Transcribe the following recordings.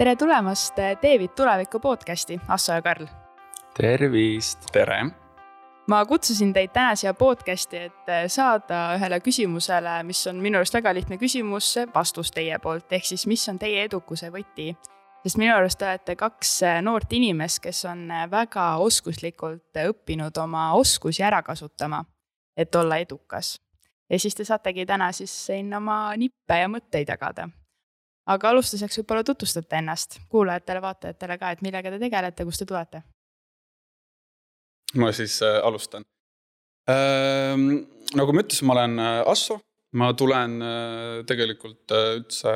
Tere tulemast Teevid tuleviku podcasti, Asso ja Karl. Tervist! Tere! Ma kutsusin teid täna siia podcasti, et saada ühele küsimusele, mis on minu arust väga lihtne küsimus, vastus teie poolt, ehk siis mis on teie edukuse võti. Sest minu arust te olete kaks noort inimest, kes on väga oskuslikult õppinud oma oskusi ära kasutama, et olla edukas. Ja siis te saategi täna siis siin oma nippe ja mõtteid jagada. Aga alustuseks võib-olla tutvustate ennast kuulajatele, vaatajatele ka, et millega te tegelete, kust te tulete? Ma siis alustan. Nagu ma ütlesin, ma olen Asso. Ma tulen tegelikult üldse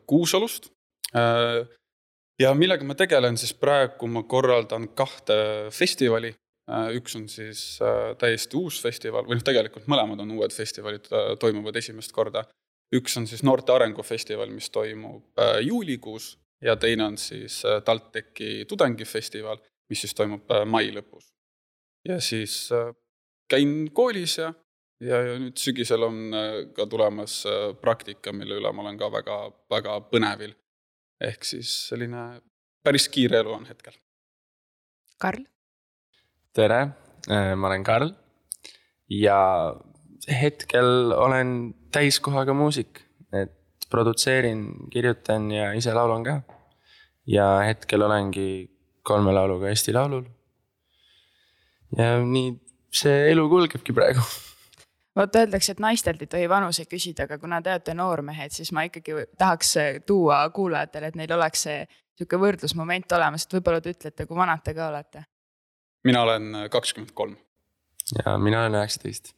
Kuusalust. Ja millega ma tegelen, siis praegu ma korraldan 2 festivali. Üks on siis täiesti uus festival, või tegelikult mõlemad on uued festivalid, toimuvad esimest korda. Üks on siis Noorte Arengufestival, mis toimub juulikuus, ja teine on siis TalTechi tudengifestival, mis siis toimub mai lõpus. Ja siis käin koolis ja nüüd sügisel on ka tulemas praktika, mille üle ma olen ka väga, väga põnevil. Ehk siis selline päris kiire elu on hetkel. Karl? Tere, ma olen Karl ja hetkel olen täiskohaga muusik, et produtseerin, kirjutan ja ise laulan ka. Ja hetkel olengi 3 lauluga Eesti Laulul. Ja nii see elu kulgebki praegu. Vaata, öeldakse, et naistelt ei tohi vanuse küsida, aga kuna te olete noormehed, siis ma ikkagi tahaks tuua kuulajatele, et neil oleks see selline võrdlusmoment olemas, et võib-olla te ütlete, kui vanad te ka olete. Mina olen 23. Ja mina olen 19.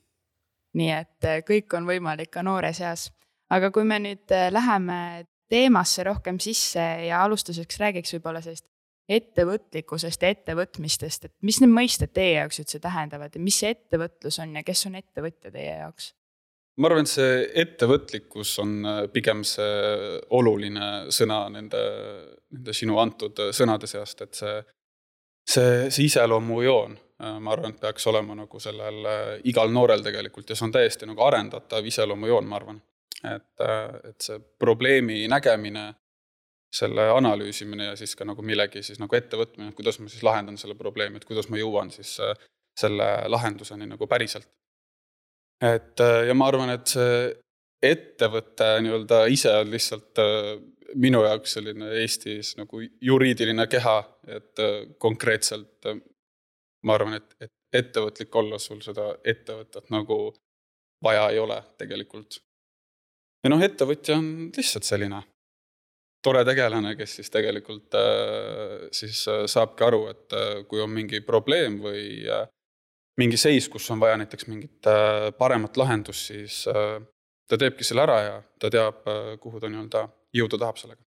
Nii et kõik on võimalik ka noore seas. Aga kui me nüüd läheme teemasse rohkem sisse ja alustuseks räägiks võib-olla sellist ettevõtlikkusest ja ettevõtmistest, et mis need mõisted teie jaoks üldse tähendavad ja mis see ettevõtlus on ja kes on ettevõtja teie jaoks? Ma arvan, et see ettevõtlikkus on pigem see oluline sõna nende sinu antud sõnade seast, et see iseloomujoon, ma arvan, et peaks olema nagu sellel igal noorel tegelikult ja see on täiesti nagu arendatav iseloomujoon, ma arvan. Et see probleemi nägemine, selle analüüsimine ja siis ka nagu millegi siis nagu ettevõtmine, kuidas ma siis lahendan selle probleemi, et kuidas ma jõuan siis selle lahenduseni nagu päriselt. Ja ma arvan, et see ettevõte nii-öelda ise on lihtsalt minu jaoks selline Eestis nagu juriidiline keha, et konkreetselt ma arvan, et ettevõtlik olla sul seda ettevõtet nagu vaja ei ole tegelikult. Ja ettevõtja on lihtsalt selline tore tegelane, kes siis tegelikult siis saabki aru, et kui on mingi probleem või mingi seis, kus on vaja näiteks mingit paremat lahendust, siis ta teebki selle ära ja ta teab, kuhu ta nii-öelda jõuda tahab sellega.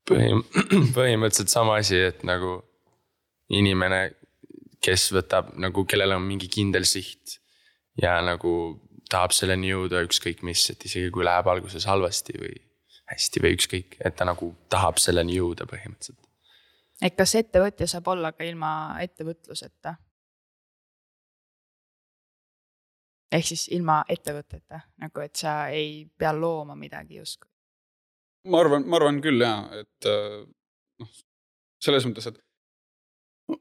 Põhimõtteliselt sama asi, et nagu inimene, kes võtab, nagu kellel on mingi kindel siht ja nagu tahab selleni jõuda ükskõik mis, et isegi kui läheb alguses halvasti või hästi või ükskõik, et ta nagu tahab selleni jõuda põhimõtteliselt. Et kas ettevõtja saab olla ka ilma ettevõtluseta? Ehk siis ilma ettevõteta, nagu et sa ei pea looma midagi justkui? Ma arvan küll, jah, et selles mõttes, et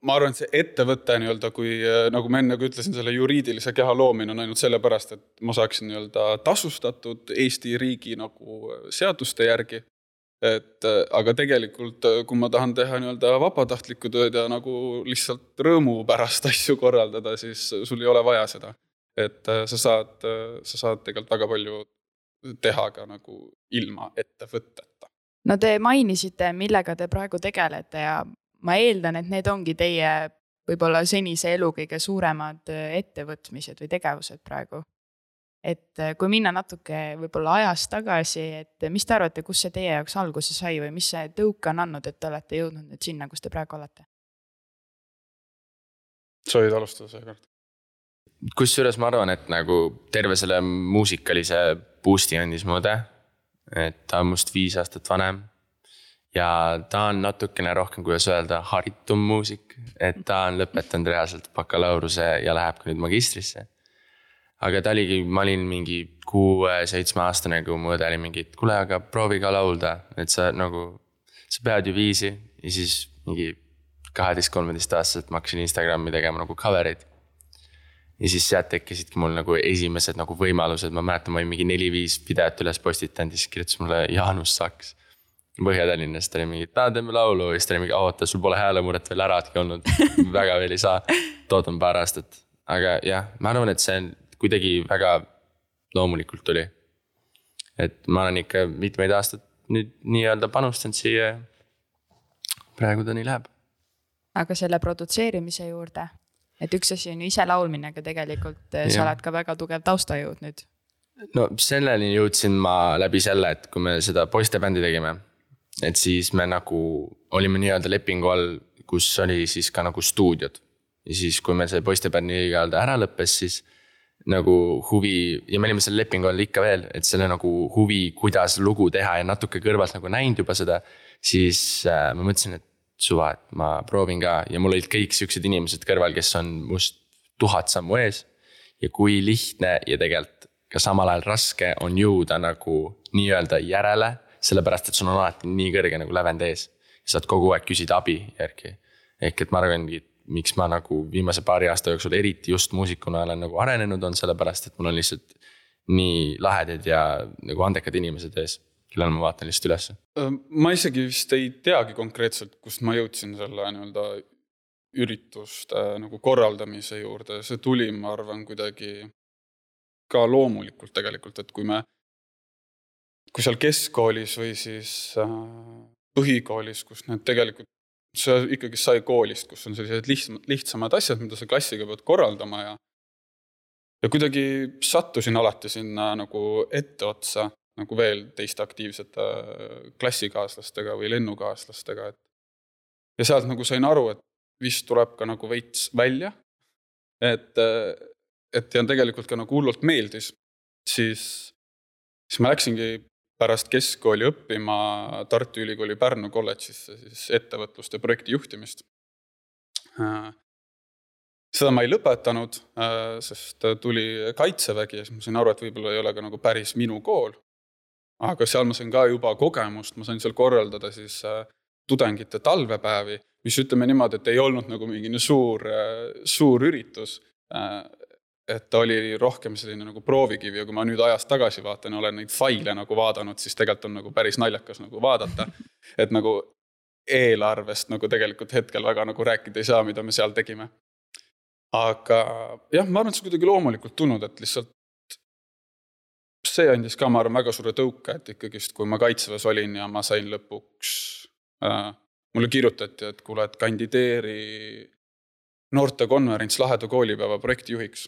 ma arvan, et see ettevõte nii-öelda, kui nagu ma enne ütlesin, selle juriidilise keha loomine on ainult sellepärast, et ma saaksin nii-öelda tasustatud Eesti riigi nagu seaduste järgi. Aga tegelikult, kui ma tahan teha nii-öelda vabatahtlikku tööd ja nagu lihtsalt rõõmu pärast asju korraldada, siis sul ei ole vaja seda. Et sa saad tegelikult väga palju teha ka nagu ilma ettevõteta. No te mainisite, millega te praegu tegelete ja ma eeldan, et need ongi teie võib-olla senise elu kõige suuremad ettevõtmised või tegevused praegu. Et kui minna natuke võib-olla ajast tagasi, et mis te arvate, kus see teie jaoks alguse sai või mis see tõuke on andnud, et te olete jõudnud nüüd sinna, kus te praegu olete? Sa võid alustada see kord. Kusjuures ma arvan, et nagu terve selle muusikalise boosti andis mõõde, et ta on must 5 aastat vanem. Ja ta on natukene rohkem, kuidas öelda, haritum muusik, et ta on lõpetanud reaalselt bakalaureuse ja läheb ka nüüd magistrisse. Aga ta oligi, ma olin mingi 6-7 aastane, kui mu õde oli mingi, et kuule, aga proovi ka laulda, et sa nagu sa pead ju viisi ja siis mingi 12-13 aastaselt ma hakkasin Instagrami tegema nagu cover'id. Ja siis sealt tekkisidki mul nagu esimesed nagu võimalused, ma mäletan, ma olin mingi 4-5 videot üles postitanud, siis kirjutas mulle Jaanus Saks Põhja-Tallinnast, oli mingi, teeme laulu, ja siis ta oli mingi, oota, sul pole häälemuret veel äradki olnud, väga veel ei saa, toodan paar aastat. Aga jah, ma arvan, et see kuidagi väga loomulikult tuli. Et ma olen ikka mitmeid aastat nüüd nii-öelda panustanud siia ja praegu ta nii läheb. Aga selle produtseerimise juurde, et üks asi on ju ise laulmine, aga tegelikult sa oled ka väga tugev taustajõud nüüd. No selleni jõudsin ma läbi selle, et kui me seda poistebändi tegime, et siis me nagu olime nii-öelda lepingu all, kus oli siis ka nagu stuudiod. Ja siis kui me see poistebändi ära lõppes, siis nagu huvi, ja me olime selle lepingu all ikka veel, et selle nagu huvi, kuidas lugu teha ja natuke kõrvalt nagu näinud juba seda, siis ma mõtlesin, et suva, et ma proovin ka ja mul olid kõik siuksed inimesed kõrval, kes on must 1000 sammu ees ja kui lihtne ja tegelikult ka samal ajal raske on jõuda nagu nii-öelda järele, sellepärast, et sul on alati nii kõrge nagu lävend ees ja saad kogu aeg küsida abi järgi. Ehk et ma arvangi, miks ma nagu viimase paari aasta jooksul eriti just muusikuna olen nagu arenenud on sellepärast, et mul on lihtsalt nii lahedad ja nagu andekad inimesed ees, kellel ma vaatan lihtsalt üles. Ma isegi vist ei teagi konkreetselt, kust ma jõudsin selle nii-öelda ürituste nagu korraldamise juurde. See tuli, ma arvan, kuidagi ka loomulikult tegelikult, et kui seal keskkoolis või siis põhikoolis, kus need tegelikult see ikkagi sai koolist, kus on sellised lihtsamad asjad, mida sa klassiga pead korraldama ja kuidagi sattusin alati sinna nagu etteotsa nagu veel teiste aktiivsete klassikaaslastega või lennukaaslastega. Ja sealt nagu sain aru, et vist tuleb ka nagu veits välja, et ja tegelikult ka nagu hullult meeldis, siis ma läksingi pärast keskkooli õppima Tartu Ülikooli Pärnu kolledžisse siis ettevõtlust ja projekti juhtimist. Seda ma ei lõpetanud, sest tuli Kaitsevägi ja siis ma sain aru, et võib-olla ei ole ka nagu päris minu kool. Aga seal ma sain ka juba kogemust, ma sain seal korraldada siis tudengite talvepäevi, mis ütleme niimoodi, et ei olnud nagu mingi suur üritus, et ta oli rohkem selline nagu proovikivi ja kui ma nüüd ajast tagasi vaatan ja olen neid faile nagu vaadanud, siis tegelikult on nagu päris naljakas nagu vaadata, et nagu eelarvest nagu tegelikult hetkel väga nagu rääkida ei saa, mida me seal tegime. Aga jah, ma arvan, et see kuidagi loomulikult tulnud, et lihtsalt see andis ka, ma arvan, väga suure tõuke, et ikkagist, kui ma Kaitseväes olin ja ma sain lõpuks, mulle kirjutati, et kuule, et kandideeri noortekonverents Laheda koolipäeva projektijuhiks.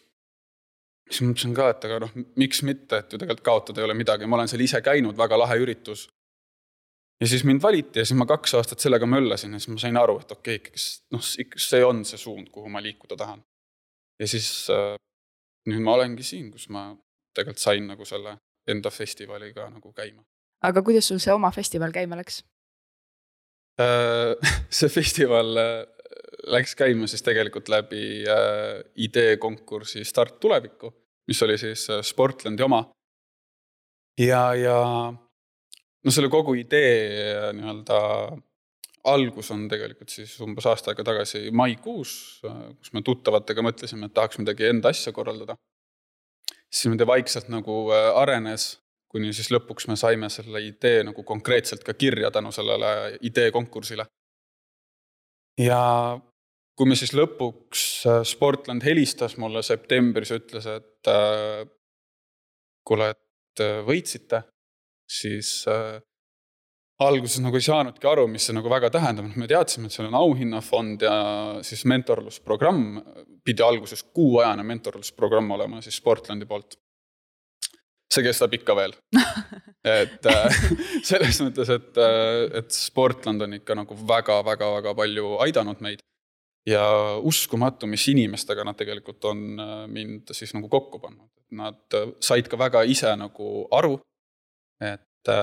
Siis mõtlesin ka, et aga miks mitte, et ju tegelikult kaotada ei ole midagi. Ma olen seal ise käinud, väga lahe üritus. Ja siis mind valiti ja siis ma 2 aastat sellega möllasin ja siis ma sain aru, et okei, see on see suund, kuhu ma liikuda tahan. Ja siis nüüd ma olengi siin, kus ma tegelikult sain nagu selle enda festivaliga nagu käima. Aga kuidas sul see oma festival käima läks? See festival läks käima siis tegelikult läbi ideekonkursi Start tulevikku, mis oli siis Sportlandi oma. Ja selle kogu idee nii-öelda algus on tegelikult siis umbes aasta aega tagasi maikuus, kus me tuttavatega mõtlesime, et tahaks midagi enda asja korraldada. Siis me vaikselt nagu arenes, kuni siis lõpuks me saime selle idee nagu konkreetselt ka kirja tänu sellele ideekonkursile. Ja kui me siis lõpuks Sportland helistas mulle septembris ja ütles, et kuule, et võitsite, siis alguses nagu ei saanudki aru, mis see nagu väga tähendab. Me teadsime, et seal on auhinnafond ja siis mentorlusprogramm, pidi alguses 6-ajane mentorlusprogramm olema siis Sportlandi poolt. See kestab ikka veel. Et selles mõttes, et Sportland on ikka nagu väga palju aidanud meid. Ja uskumatu, mis inimestega nad tegelikult on mind siis nagu kokku pannud. Nad said ka väga ise nagu aru, et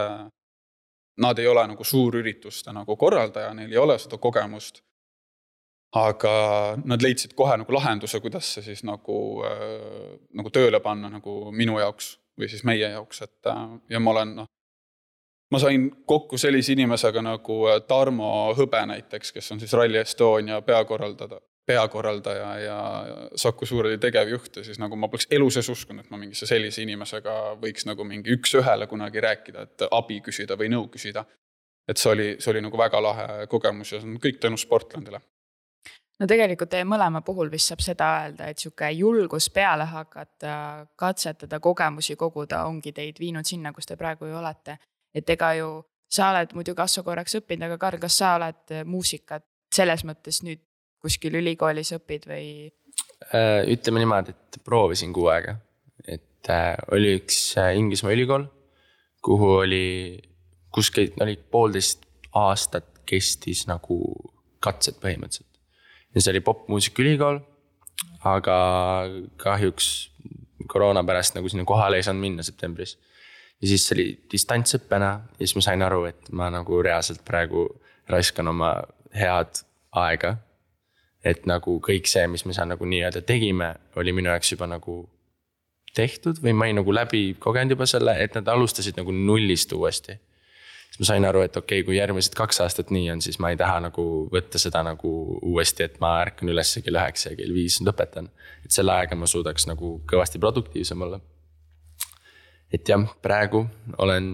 nad ei ole nagu suurürituste nagu korraldaja, neil ei ole seda kogemust, aga nad leidsid kohe nagu lahenduse, kuidas see siis nagu tööle panna nagu minu jaoks või siis meie jaoks, et ja ma olen ma sain kokku sellise inimesega nagu Tarmo Hõbe näiteks, kes on siis Rally Estonia peakorraldaja ja Saku Suurhalli tegevjuht ja siis nagu ma poleks elu sees uskunud, et ma mingisse sellise inimesega võiks nagu mingi üks-ühele kunagi rääkida, et abi küsida või nõu küsida. Et see oli nagu väga lahe kogemus ja see on kõik tänu Sportlandile. No tegelikult teie mõlema puhul vist saab seda öelda, et siuke julgus peale hakata, katsetada, kogemusi koguda ongi teid viinud sinna, kus te praegu ju olete. Et ega ju sa oled muidu Kasso korraks õppinud, aga Karl, kas sa oled muusikat selles mõttes nüüd kuskil ülikoolis õpid või? Ütleme niimoodi, et proovisin 6 aega. Et oli üks Inglismaa ülikool, kuhu kus oli 1,5 aastat kestis nagu katsed põhimõtteliselt. Ja see oli popmuusikaülikool, aga kahjuks koroona pärast nagu sinna kohale ei saanud minna septembris. Ja siis see oli distantsõppena ja siis ma sain aru, et ma nagu reaalselt praegu raiskan oma head aega. Et nagu kõik see, mis me seal nagu nii-öelda tegime, oli minu jaoks juba nagu tehtud või ma ei nagu läbi kogenud juba selle, et nad alustasid nagu nullist uuesti. Siis ma sain aru, et okei, kui järgmised 2 aastat nii on, siis ma ei taha nagu võtta seda nagu uuesti, et ma ärkan üles kell 9 ja kell 5 lõpetan. Et selle aega ma suudaks nagu kõvasti produktiivsem olla. Et jah, praegu olen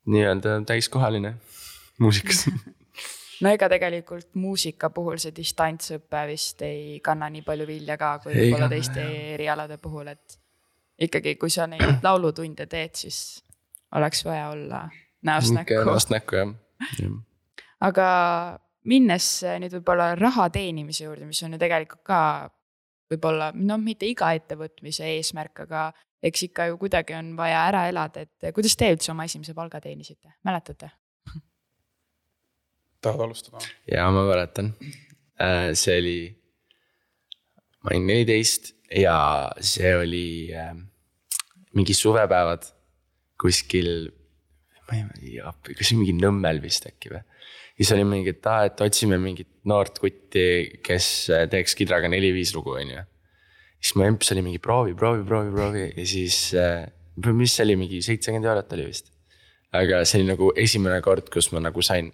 nii-öelda täiskohaline muusikas. No ega tegelikult muusika puhul see distantsõppe vist ei kanna nii palju vilja ka, kui võib-olla teiste erialade puhul, et ikkagi kui sa neid laulutunde teed, siis oleks vaja olla näost näkku, jah. Aga minnes nüüd võib-olla raha teenimise juurde, mis on ju tegelikult ka võib-olla, mitte iga ettevõtmise eesmärk, aga eks ikka ju kuidagi on vaja ära elada, et kuidas te üldse oma esimese palga teenisite? Mäletate? Tahad alustada? Ja ma mäletan. See oli, ma olin 14 ja see oli mingi suvepäevad kuskil kas mingi Nõmmel vist äkki või. Ja siis oli mingi, et otsime mingit noort kutti, kes teeks kidraga 4-5 lugu, on ju. Siis mu emps oli mingi proovi ja siis, mis see oli, mingi 70 eurot oli vist. Aga see oli nagu esimene kord, kus ma nagu sain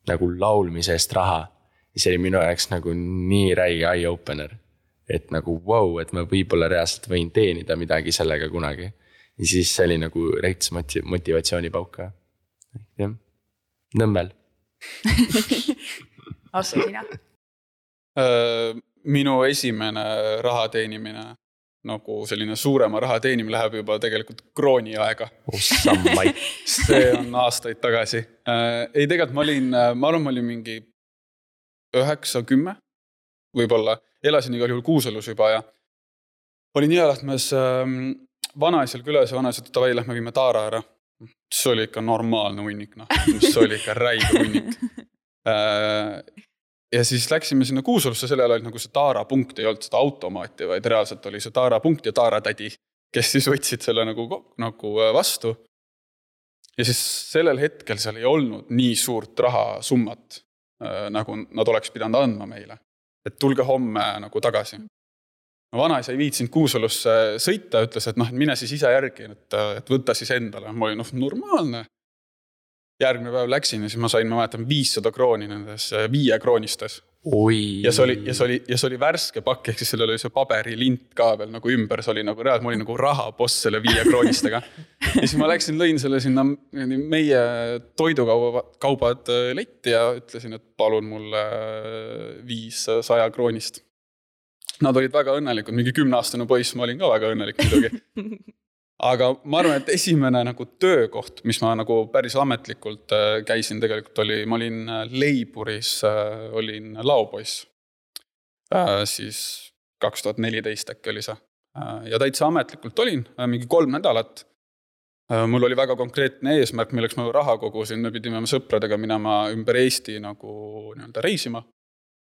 nagu laulmise eest raha. Ja see oli minu jaoks nagu nii räige eye-opener. Et nagu wow, et ma võib-olla reaalselt võin teenida midagi sellega kunagi. Ja siis see oli nagu reits motivatsioonipauka. Jah. Nõmmel. Asse sina? Minu esimene raha teenimine, nagu selline suurema raha teenimine läheb juba tegelikult krooni aega. See on aastaid tagasi. Ei, tegelikult ma olin mingi 9-10 võib-olla. Elasin igal juhul Kuusalus juba ja olin Jõelähtmes vanaisal külas ja vanaisal, et lähme viime Taara ära. See oli ikka normaalne hunnik, see oli ikka räige hunnik. Ja siis läksime sinna Kuusalusse, selle ajal oli nagu see Taara punkt, ei olnud seda automaati, vaid reaalselt oli see Taara punkt ja Taara tädi, kes siis võtsid selle nagu vastu. Ja siis sellel hetkel seal ei olnud nii suurt rahasummat, nagu nad oleks pidanud andma meile. Et tulge homme nagu tagasi. Vanaisa ei viitsinud Kuusalusse sõita, ütles, et mine siis ise järgi, et võtta siis endale. Ma olin normaalne. Järgmine päev läksin ja siis ma sain, ma mäletan, 500 krooni nendes 5 kroonistes. Ja see oli värske pakk, ehk siis sellel oli see paberilint ka veel nagu ümber, see oli nagu reaalselt, ma olin nagu rahaboss selle 5 kroonistega. Ja siis ma läksin, lõin selle sinna meie toidukaubad letti ja ütlesin, et palun mulle 500 kroonist. Nad olid väga õnnelikud, mingi 10-aastane poiss, ma olin ka väga õnnelik muidugi. Aga ma arvan, et esimene nagu töökoht, mis ma nagu päris ametlikult käisin tegelikult ma olin Leiburis, olin laopoiss. Siis 2014 äkki oli see. Ja täitsa ametlikult olin, mingi 3 nädalat. Mul oli väga konkreetne eesmärk, milleks ma raha kogusin, me pidime sõpradega minema ümber Eesti nagu reisima.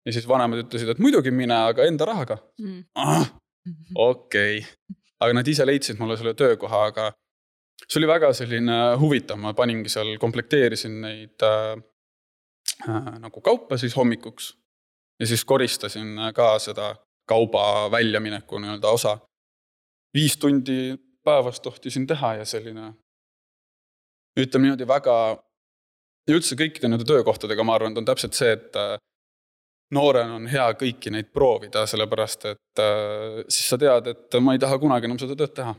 Ja siis vanemad ütlesid, et muidugi mine, aga enda rahaga. Okei. Aga nad ise leidsid mulle selle töökoha, aga see oli väga selline huvitav. Ma paningi seal, komplekteerisin neid nagu kaupa siis hommikuks. Ja siis koristasin ka seda kauba väljamineku osa. 5 tundi päevas tohtisin teha ja selline ütleme niimoodi väga, ja üldse kõikide nende töökohtadega ma arvan, et on täpselt see, et noorena on hea kõiki neid proovida, sellepärast et siis sa tead, et ma ei taha kunagi enam seda tööd teha.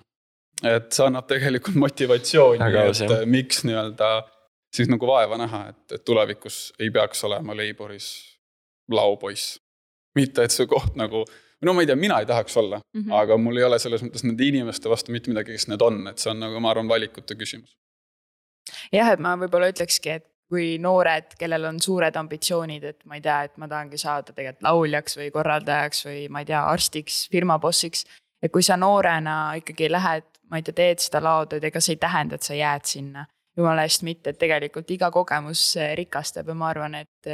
Et see annab tegelikult motivatsiooni, et miks nii-öelda siis nagu vaeva näha, et tulevikus ei peaks olema Leiboris laupoiss. Mitte, et see koht nagu, no ma ei tea, mina ei tahaks olla, aga mul ei ole selles mõttes nende inimeste vastu mitte midagi, kes need on, et see on nagu, ma arvan, valikute küsimus. Jah, et ma võib-olla ütlekski, et kui noored, kellel on suured ambitsioonid, et ma ei tea, et ma tahangi saada tegelikult lauljaks või korraldajaks või ma ei tea, arstiks, firmabossiks, et kui sa noorena ikkagi lähed, ma ei tea, teed seda laotööd, ega see ei tähenda, et sa jääd sinna. Jumala eest mitte, et tegelikult iga kogemus rikastab ja ma arvan, et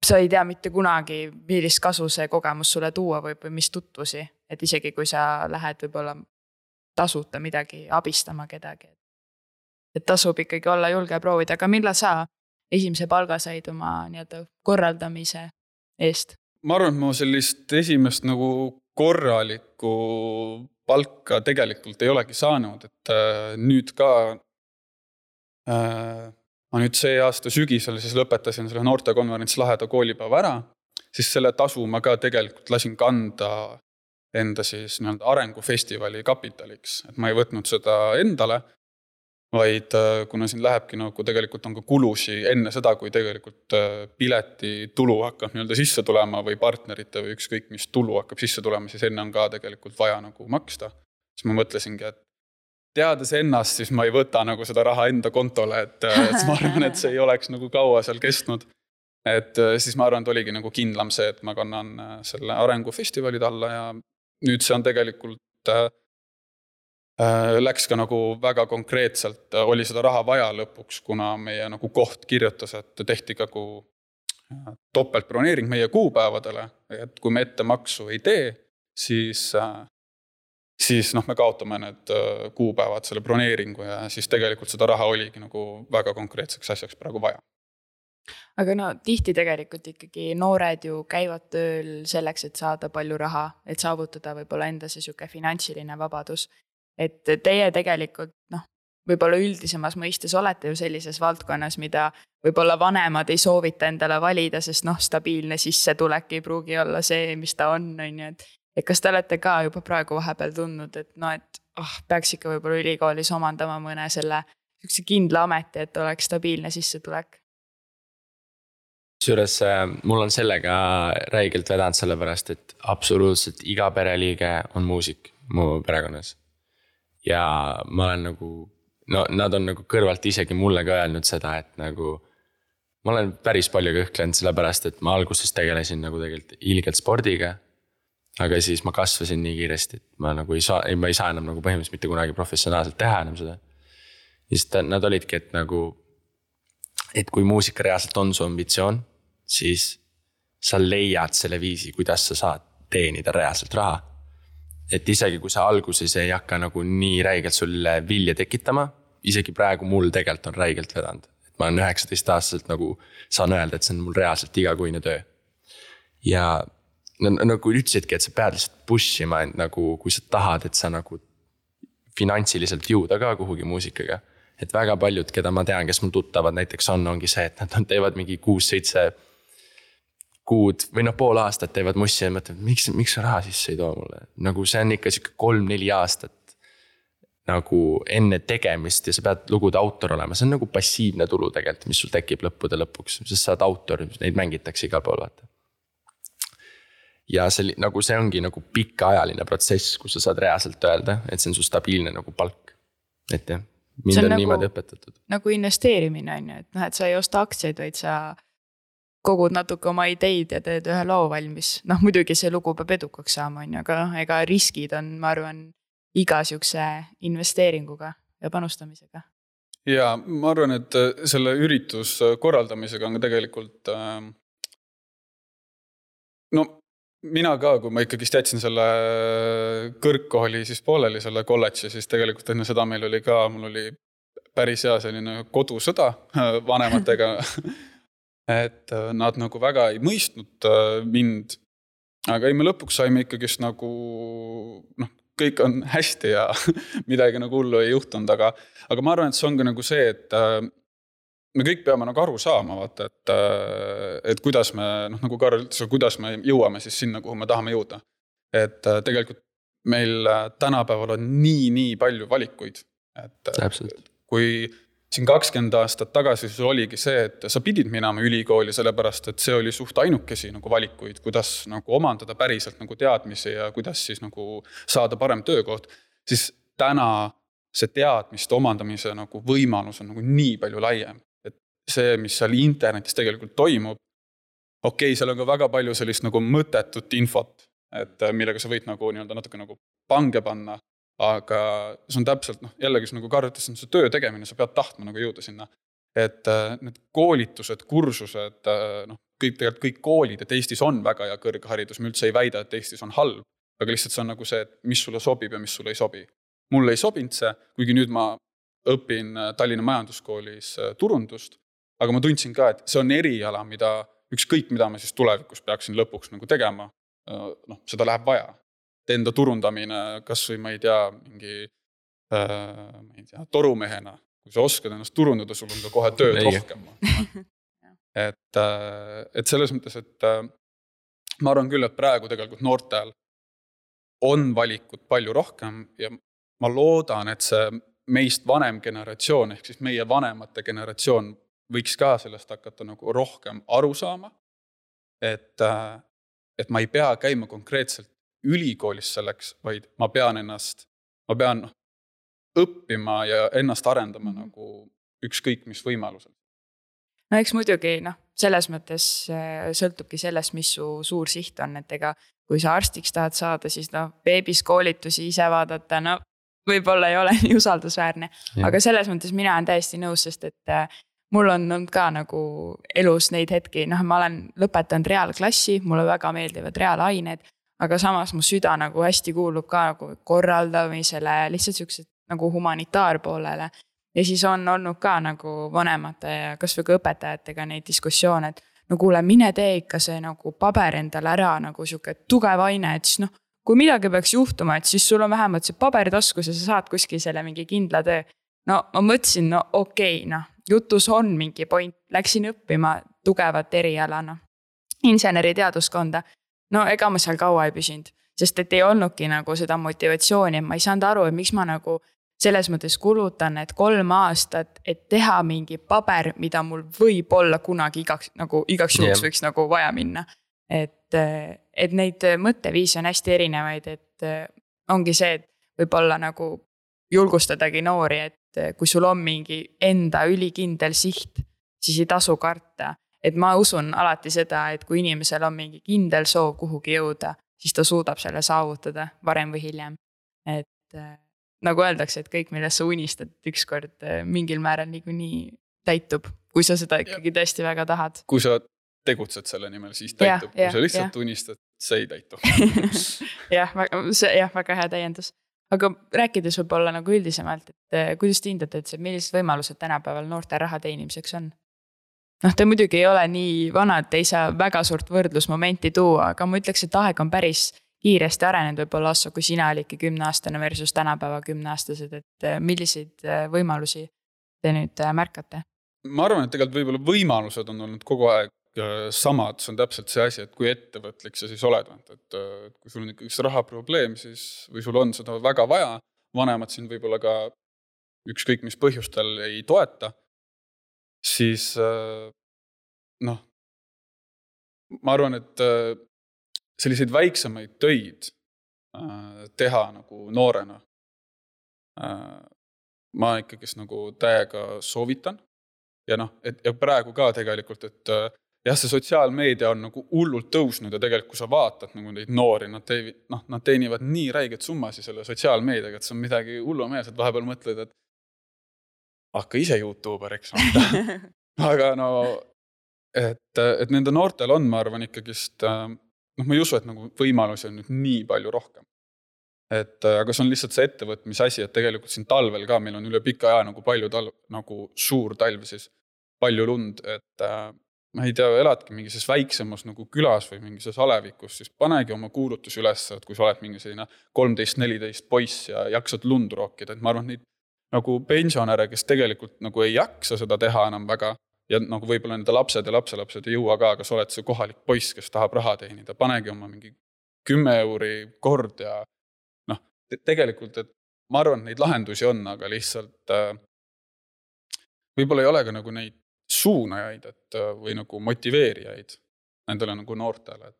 sa ei tea mitte kunagi, millist kasu see kogemus sulle tuua võib või mis tutvusi, et isegi kui sa lähed võib-olla tasuta midagi abistama kedagi. Et tasub ikkagi olla julge proovida, aga millal sa esimese palga said oma nii-öelda korraldamise eest? Ma arvan, et ma sellist esimest nagu korralikku palka tegelikult ei olegi saanud, et nüüd ka ma nüüd see aasta sügisel siis lõpetasin selle noortekonverents Laheda koolipäeva ära, siis selle tasu ma ka tegelikult lasin kanda enda siis nii-öelda arengufestivali kapitaliks, et ma ei võtnud seda endale, vaid kuna siin lähebki nagu tegelikult on ka kulusi enne seda, kui tegelikult pileti tulu hakkab nii-öelda sisse tulema või partnerite või ükskõik mis tulu hakkab sisse tulema, siis enne on ka tegelikult vaja nagu maksta. Siis ma mõtlesingi, et teades ennast, siis ma ei võta nagu seda raha enda kontole, et ma arvan, et see ei oleks nagu kaua seal kestnud. Et siis ma arvan, et oligi nagu kindlam see, et ma kannan selle arengufestivalid alla ja nüüd see on tegelikult läks ka nagu väga konkreetselt, oli seda raha vaja lõpuks, kuna meie nagu koht kirjutas, et tehti ka topeltbroneering meie kuupäevadele, et kui me ette maksu ei tee, siis me kaotame need kuupäevad selle broneeringu ja siis tegelikult seda raha oligi nagu väga konkreetseks asjaks praegu vaja. Aga no tihti tegelikult ikkagi noored ju käivad tööl selleks, et saada palju raha, et saavutada võib-olla enda see siuke finantsiline vabadus. Et teie tegelikult, võib-olla üldisemas mõistes olete ju sellises valdkonnas, mida võib-olla vanemad ei soovita endale valida, sest stabiilne sissetulek ei pruugi olla see, mis ta on. Et kas te olete ka juba praegu vahepeal tundnud, et peaks ikka võib-olla ülikoolis omandama mõne selle kindla ameti, et oleks stabiilne sissetulek? Süüres, mul on sellega räigelt vedanud sellepärast, et absoluutselt iga pereliige on muusik mu perekonnas. Ja ma olen nagu, nad on nagu kõrvalt isegi mulle ka öelnud seda, et nagu ma olen päris palju kõhklenud sellepärast, et ma alguses tegelesin nagu tegelikult ilgelt spordiga, aga siis ma kasvasin nii kiiresti, et ma ei saa enam nagu põhimõtteliselt mitte kunagi professionaalselt teha enam seda. Ja siis nad olidki, et kui muusika reaalselt on su ambitsioon, siis sa leiad selle viisi, kuidas sa saad teenida reaalselt raha. Et isegi kui sa alguses ei hakka nagu nii räigelt sulle vilja tekitama, isegi praegu mul tegelikult on räigelt vedanud. Et ma olen 19-aastaselt nagu saan öelda, et see on mul reaalselt igakuine töö. Ja nagu ütlesidki, et sa pead lihtsalt pushima, nagu, kui sa tahad, et sa nagu finantsiliselt jõuda ka kuhugi muusikaga. Et väga paljud, keda ma tean, kes mul tuttavad näiteks ongi see, et nad teevad mingi 6-7 kuud või pool aastat teevad mussi ja mõtlevad, miks sa raha sisse ei too mulle. Nagu see on ikka 3-4 aastat nagu enne tegemist ja sa pead lugude autor olema. See on nagu passiivne tulu tegelikult, mis sul tekib lõppude lõpuks. Sest sa oled autor, neid mängitakse igal pool vaata. Ja see ongi nagu pikaajaline protsess, kus sa saad reaalselt öelda, et see on su stabiilne nagu palk. Et jah, mind on niimoodi õpetatud. Nagu investeerimine on ju, et sa ei osta aktsiaid, vaid sa kogud natuke oma ideid ja teed ühe loo valmis. Muidugi see lugu peab edukaks saama, aga ega riskid on, ma arvan, iga siukse investeeringuga ja panustamisega. Ja ma arvan, et selle üritus korraldamisega on tegelikult mina ka, kui ma ikkagi jätsin selle kõrgkooli siis pooleli selle kolledži, siis tegelikult enne seda mul oli päris hea selline kodusõda vanematega. Et nad nagu väga ei mõistnud mind, aga me lõpuks saime ikkagist nagu kõik on hästi ja midagi nagu hullu ei juhtunud, aga ma arvan, et see on ka nagu see, et me kõik peame nagu aru saama, vaata, et kuidas me, nagu Karl ütles, kuidas me jõuame siis sinna, kuhu me tahame jõuda. Et tegelikult meil tänapäeval on nii palju valikuid, et Täpselt. kui siin 20 aastat tagasi siis oligi see, et sa pidid minema ülikooli, sellepärast, et see oli suht ainukesi nagu valikuid, kuidas nagu omandada päriselt nagu teadmisi ja kuidas siis nagu saada parem töökoht, siis täna see teadmiste omandamise nagu võimalus on nagu nii palju laiem. Et see, mis seal internetis tegelikult toimub, okei, seal on ka väga palju sellist nagu mõttetut infot, et millega sa võid nagu natuke nagu pange panna, aga see on täpselt, jällegi nagu Karl ütles, see töö tegemine, sa pead tahtma nagu jõuda sinna. Et need koolitused, kursused, kõik koolid, et Eestis on väga hea kõrgharidus, me üldse ei väida, et Eestis on halb, aga lihtsalt see on nagu see, et mis sulle sobib ja mis sulle ei sobi. Mulle ei sobinud see, kuigi nüüd ma õpin Tallinna Majanduskoolis turundust, aga ma tundsin ka, et see on eriala, ükskõik mida ma siis tulevikus peaksin lõpuks nagu tegema, seda läheb vaja. Enda turundamine, kas või ma ei tea, torumehena, kui sa oskad ennast turundada, sul on ka kohe tööd rohkem. Et selles mõttes, et ma arvan küll, et praegu tegelikult noortel on valikut palju rohkem ja ma loodan, et see meist vanem generatsioon, ehk siis meie vanemate generatsioon võiks ka sellest hakata nagu rohkem aru saama, et ma ei pea käima konkreetselt ülikoolis selleks, vaid ma pean õppima ja ennast arendama nagu ükskõik mis võimalusel. No eks muidugi, selles mõttes sõltubki sellest, mis su suur siht on, et ega kui sa arstiks tahad saada, siis beebis koolitusi ise vaadata, võib-olla ei ole nii usaldusväärne, aga selles mõttes mina olen täiesti nõus, sest et mul on olnud ka nagu elus neid hetki, ma olen lõpetanud reaalklassi, mulle väga meeldivad reaalained, aga samas mu süda nagu hästi kuulub ka nagu korraldamisele, lihtsalt siuksed nagu humanitaarpoolele. Ja siis on olnud ka nagu vanemate ja kas või ka õpetajatega neid diskussioone, et kuule, mine tee ikka see nagu paber endale ära nagu siuke tugev aine, et siis kui midagi peaks juhtuma, et siis sul on vähemalt see paber taskus ja sa saad kuskil selle mingi kindla töö. Ma mõtlesin, okei, jutus on mingi point, läksin õppima tugevat erialana, inseneriteaduskonda. Ega ma seal kaua ei püsinud, sest et ei olnudki nagu seda motivatsiooni, ma ei saanud aru, et miks ma nagu selles mõttes kulutan, et 3 aastat, et teha mingi paber, mida mul võib olla kunagi igaks juhuks võiks nagu vaja minna. Et neid mõtteviisi on hästi erinevaid, et ongi see, et võib-olla nagu julgustadagi noori, et kui sul on mingi enda ülikindel siht, siis ei tasu karta. Et ma usun alati seda, et kui inimesel on mingi kindel soov kuhugi jõuda, siis ta suudab selle saavutada varem või hiljem. Et nagu öeldakse, et kõik, millest sa unistad, ükskord mingil määral nii täitub, kui sa seda ikkagi tõesti väga tahad. Kui sa tegutsed selle nimel, siis täitub. Kui sa lihtsalt unistad, see ei täitu. väga hea täiendus. Aga rääkides võib-olla nagu üldisemalt, et kuidas te hindate, et millised võimalused tänapäeval noorte raha teenimiseks on? Te muidugi ei ole nii vanad, ei saa väga suurt võrdlusmomenti tuua, aga ma ütleks, et aeg on päris kiiresti arenenud võib-olla Asso, kui sina olidki 10-aastane versus tänapäeva 10-aastased, et milliseid võimalusi te nüüd märkate? Ma arvan, et tegelikult võib-olla võimalused on olnud kogu aeg samad, see on täpselt see asi, et kui ettevõtlik sa siis oled, et kui sul on üks rahaprobleem, siis või sul on seda väga vaja, vanemad siin võib-olla ka ükskõik mis põhjustel ei toeta, siis ma arvan, et selliseid väiksemaid töid teha nagu noorena ma ikkagi nagu täiega soovitan ja ja praegu ka tegelikult, et jah, see sotsiaalmeedia on nagu hullult tõusnud ja tegelikult kui sa vaatad nagu neid noori, nad teenivad nii räiget summasi selle sotsiaalmeediaga, et see on midagi hullumeelset, vahepeal mõtled, et hakka ise YouTuberiks. Aga et nende noortel on, ma arvan, ikkagist, ma ei usu, et nagu võimalusi on nüüd nii palju rohkem. Aga see on lihtsalt see ettevõtmise asi, et tegelikult siin talvel ka meil on üle pika aja nagu palju nagu suur talv siis, palju lund, et ma ei tea, eladki mingises väiksemas nagu külas või mingises alevikus, siis panegi oma kuulutus üles, et kui sa oled mingi selline 13-14 poiss ja jaksad lund rookida, et ma arvan, neid nagu pensionäre, kes tegelikult nagu ei jaksa seda teha enam väga ja nagu võib-olla nende lapsed ja lapselapsed ei jõua ka, aga sa oled see kohalik poiss, kes tahab raha teenida, panegi oma mingi 10 euri kord ja noh, tegelikult, et ma arvan, et neid lahendusi on, aga lihtsalt võib-olla ei ole ka nagu neid suunajaid, et või nagu motiveerijaid nendele nagu noortele.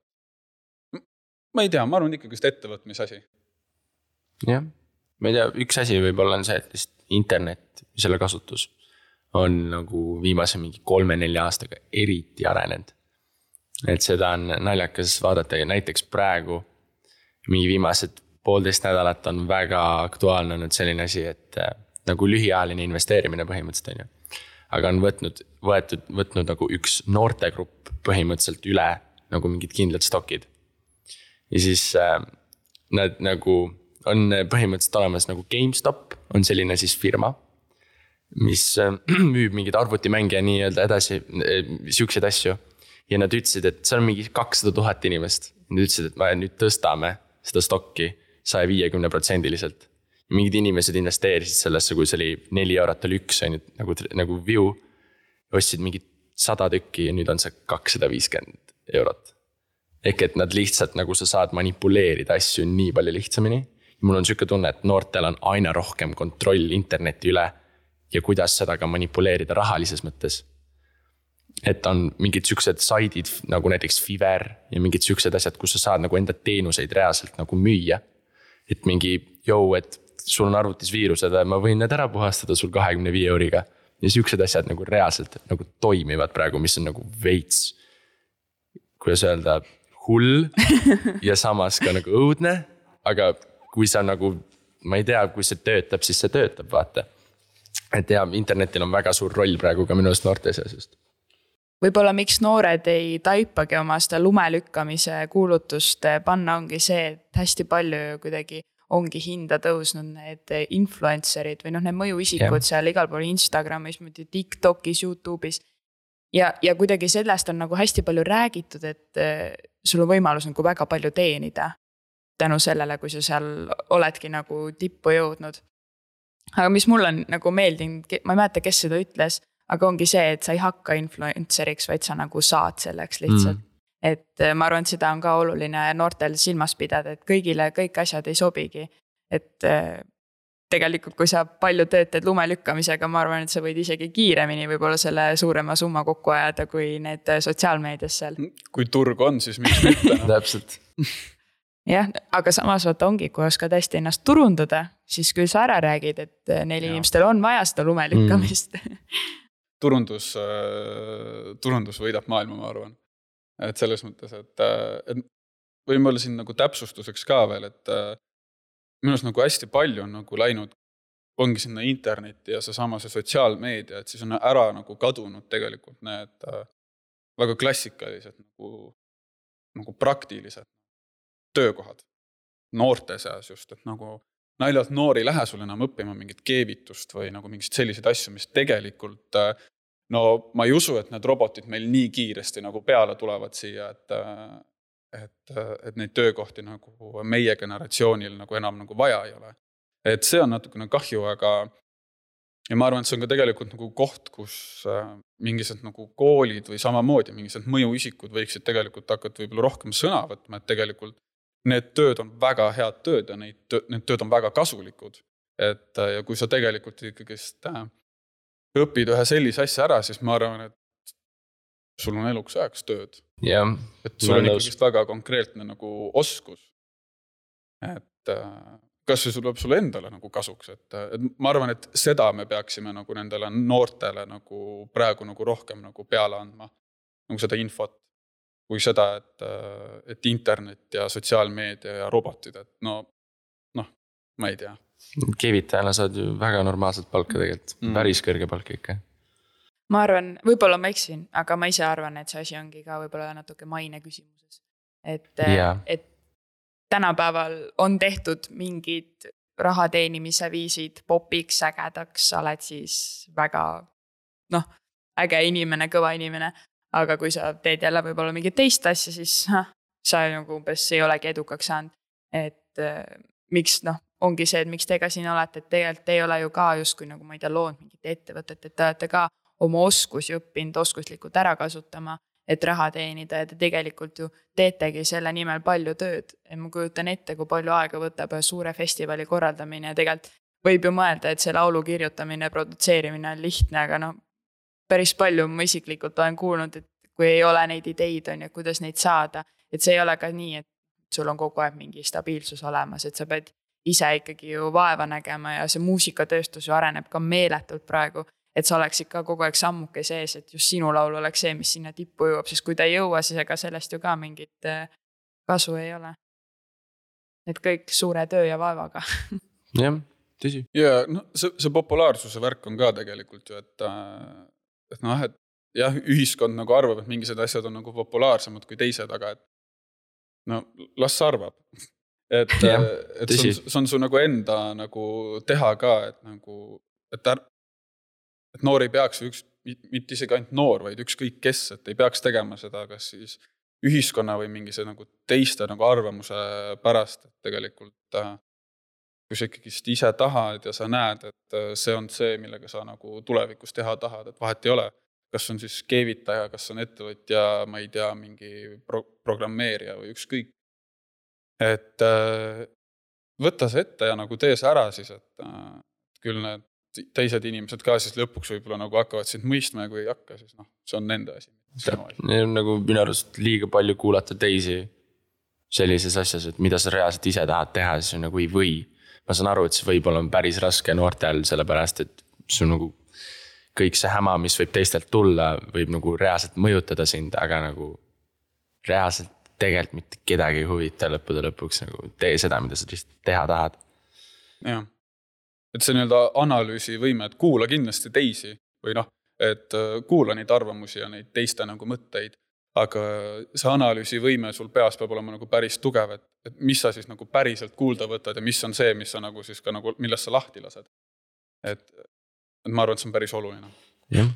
Ma ei tea, ma arvan ikkagi ettevõtmise asi. Jah, ma ei tea, üks asi võib-olla on see, et internet, selle kasutus on nagu viimase mingi 3-4 aastaga eriti arenenud. Et seda on naljakas vaadata ja näiteks praegu mingi viimased 1,5 nädalat on väga aktuaalne olnud selline asi, et nagu lühiajaline investeerimine põhimõtteliselt on ju. Aga on võtnud nagu üks noortegrupp põhimõtteliselt üle nagu mingid kindlad stokid. Ja siis nad nagu on põhimõtteliselt olemas nagu GameStop on selline siis firma, mis müüb mingid arvutimänge ja nii-öelda edasi siukseid asju. Ja nad ütlesid, et see on mingi 200,000 inimest. Nad ütlesid, et me nüüd tõstame seda stokki 150%. Mingid inimesed investeerisid sellesse, kui see oli 4 eurot oli üks nagu view, ostsid mingid 100 tükki ja nüüd on see 250 eurot. Ehk et nad lihtsalt nagu sa saad manipuleerida asju nii palju lihtsamini. Ja mul on siuke tunne, et noortel on aina rohkem kontroll interneti üle ja kuidas seda ka manipuleerida rahalises mõttes. Et on mingid siuksed saidid nagu näiteks Fiverr ja mingid siuksed asjad, kus sa saad nagu enda teenuseid reaalselt nagu müüa. Et mingi, et sul on arvutis viirused, ma võin need ära puhastada sul 25 euriga. Ja siuksed asjad nagu reaalselt nagu toimivad praegu, mis on nagu veits, kuidas öelda, hull ja samas ka nagu õudne. Aga kui sa nagu, ma ei tea, kui see töötab, siis see töötab, vaata. Et ja, internetil on väga suur roll praegu ka minu noorte seasust. Võib-olla miks noored ei taipagi oma seda lumelükkamise kuulutust panna ongi see, et hästi palju kuidagi ongi hinda tõusnud need influencerid või need mõjuisikud seal igal pool Instagramis, TikTokis, YouTube'is. Ja kuidagi sellest on nagu hästi palju räägitud, et sul on võimalus nagu väga palju teenida tänu sellele, kui sa seal oledki nagu tippu jõudnud. Aga mis mul on nagu meeldinud, ma ei mäleta, kes seda ütles, aga ongi see, et sa ei hakka influenceriks, vaid sa nagu saad selleks lihtsalt. Et ma arvan, et seda on ka oluline noortel silmas pidada, et kõigile kõik asjad ei sobigi. Et tegelikult, kui sa palju töötad lumelükkamisega, ma arvan, et sa võid isegi kiiremini võib-olla selle suurema summa kokku ajada kui need sotsiaalmeedias seal. Kui turg on, siis miks mitte? Täpselt. Jah, aga samas vaata ongi, kui oskad hästi ennast turundada, siis küll sa ära räägid, et neil inimestel on vaja seda lumelükkamist. Turundus võidab maailma, ma arvan. Et selles mõttes, et võime olla siin nagu täpsustuseks ka veel, et minust nagu hästi palju on nagu läinud, ongi sinna internetti ja see sotsiaalmeedia, et siis on ära nagu kadunud tegelikult need väga klassikalised nagu praktilised töökohad noorte seas just, et nagu naljalt noori lähe sul enam õppima mingit keevitust või nagu mingid sellised asju, mis tegelikult no ma ei usu, et need robotid meil nii kiiresti nagu peale tulevad siia, et neid töökohti nagu meie generatsioonil nagu enam nagu vaja ei ole. Et see on natukene kahju, aga ja ma arvan, et see on ka tegelikult nagu koht, kus mingised nagu koolid või samamoodi mingised mõjuisikud võiksid tegelikult hakata võib-olla rohkem sõna võtma, et tegelikult need tööd on väga head tööd ja need tööd on väga kasulikud. Et ja kui sa tegelikult ikkagist õpid ühe sellise asja ära, siis ma arvan, et sul on eluks ajaks tööd. Yeah, et sul on ikkagist väga konkreetne nagu oskus. Et kas see tuleb sulle endale nagu kasuks, et ma arvan, et seda me peaksime nagu nendele noortele nagu praegu nagu rohkem nagu peale andma, nagu seda infot, kui seda, et internet ja sotsiaalmeedia ja robotid, et no, ma ei tea. Keevitajana saad ju väga normaalselt palka tegelikult, päris kõrge palka ikka. Ma arvan, võib-olla ma eksin, aga ma ise arvan, et see asi ongi ka võib-olla natuke maine küsimuses. Et tänapäeval on tehtud mingid rahateenimise viisid popiks, ägedaks, sa oled siis väga äge inimene, kõva inimene. aga kui sa teed jälle võib-olla mingit teist asja, siis sa nagu umbes ei olegi edukaks saanud. Et miks ongi see, et miks te ka siin olete, et tegelikult ei ole ju ka justkui nagu ma ei tea, loonud mingit ettevõtet, et te olete ka oma oskusi õppinud oskuslikult ära kasutama, et raha teenida ja te tegelikult ju teetegi selle nimel palju tööd. Ja ma kujutan ette, kui palju aega võtab suure festivali korraldamine ja tegelikult võib ju mõelda, et see laulu kirjutamine ja produtseerimine on lihtne, aga päris palju ma isiklikult olen kuulnud, et kui ei ole neid ideid on ja kuidas neid saada, et see ei ole ka nii, et sul on kogu aeg mingi stabiilsus olemas, et sa pead ise ikkagi ju vaeva nägema ja see muusikatööstus ju areneb ka meeletult praegu, et sa oleks ikka kogu aeg sammuke sees, et just sinu laul oleks see, mis sinna tippu jõuab, sest kui ta ei jõua, siis ega sellest ju ka mingit kasu ei ole. Et kõik suure töö ja vaevaga. Jah, tõsi. Ja see populaarsuse värk on ka tegelikult ju, et jah, ühiskond nagu arvab, et mingised asjad on nagu populaarsemad kui teised, aga et las sa arvab. Et see on su nagu enda nagu teha ka, et noor ei peaks mitte isegi ainult noor, vaid ükskõik kes, et ei peaks tegema seda, kas siis ühiskonna või mingise nagu teiste nagu arvamuse pärast, et tegelikult kui sa ikkagi ise tahad ja sa näed, et see on see, millega sa nagu tulevikus teha tahad, et vahet ei ole, kas on siis keevitaja, kas on ettevõtja, ma ei tea, mingi programmeerija või ükskõik. Et võtta see ette ja nagu tee see ära siis, et küll need teised inimesed ka siis lõpuks võib-olla nagu hakkavad sind mõistma ja kui ei hakka, siis see on nende asi. Nagu minu arust liiga palju kuulata teisi sellises asjas, et mida sa reaalselt ise tahad teha, siis on nagu ei või. Ma saan aru, et see võib-olla on päris raske noortel, sellepärast, et see on nagu kõik see häma, mis võib teistelt tulla, võib nagu reaalselt mõjutada sind, aga nagu reaalselt tegelikult mitte kedagi huvita lõppude lõpuks nagu tee seda, mida sa lihtsalt teha tahad. Jah. Et see nii-öelda analüüsivõime, et kuula kindlasti teisi või et kuula neid arvamusi ja neid teiste nagu mõtteid, aga see analüüsivõime sul peas peab olema nagu päris tugev, et mis sa siis nagu päriselt kuulda võtad ja mis on see, mis sa nagu siis ka nagu, millest sa lahti lased. Et ma arvan, et see on päris oluline. Jah.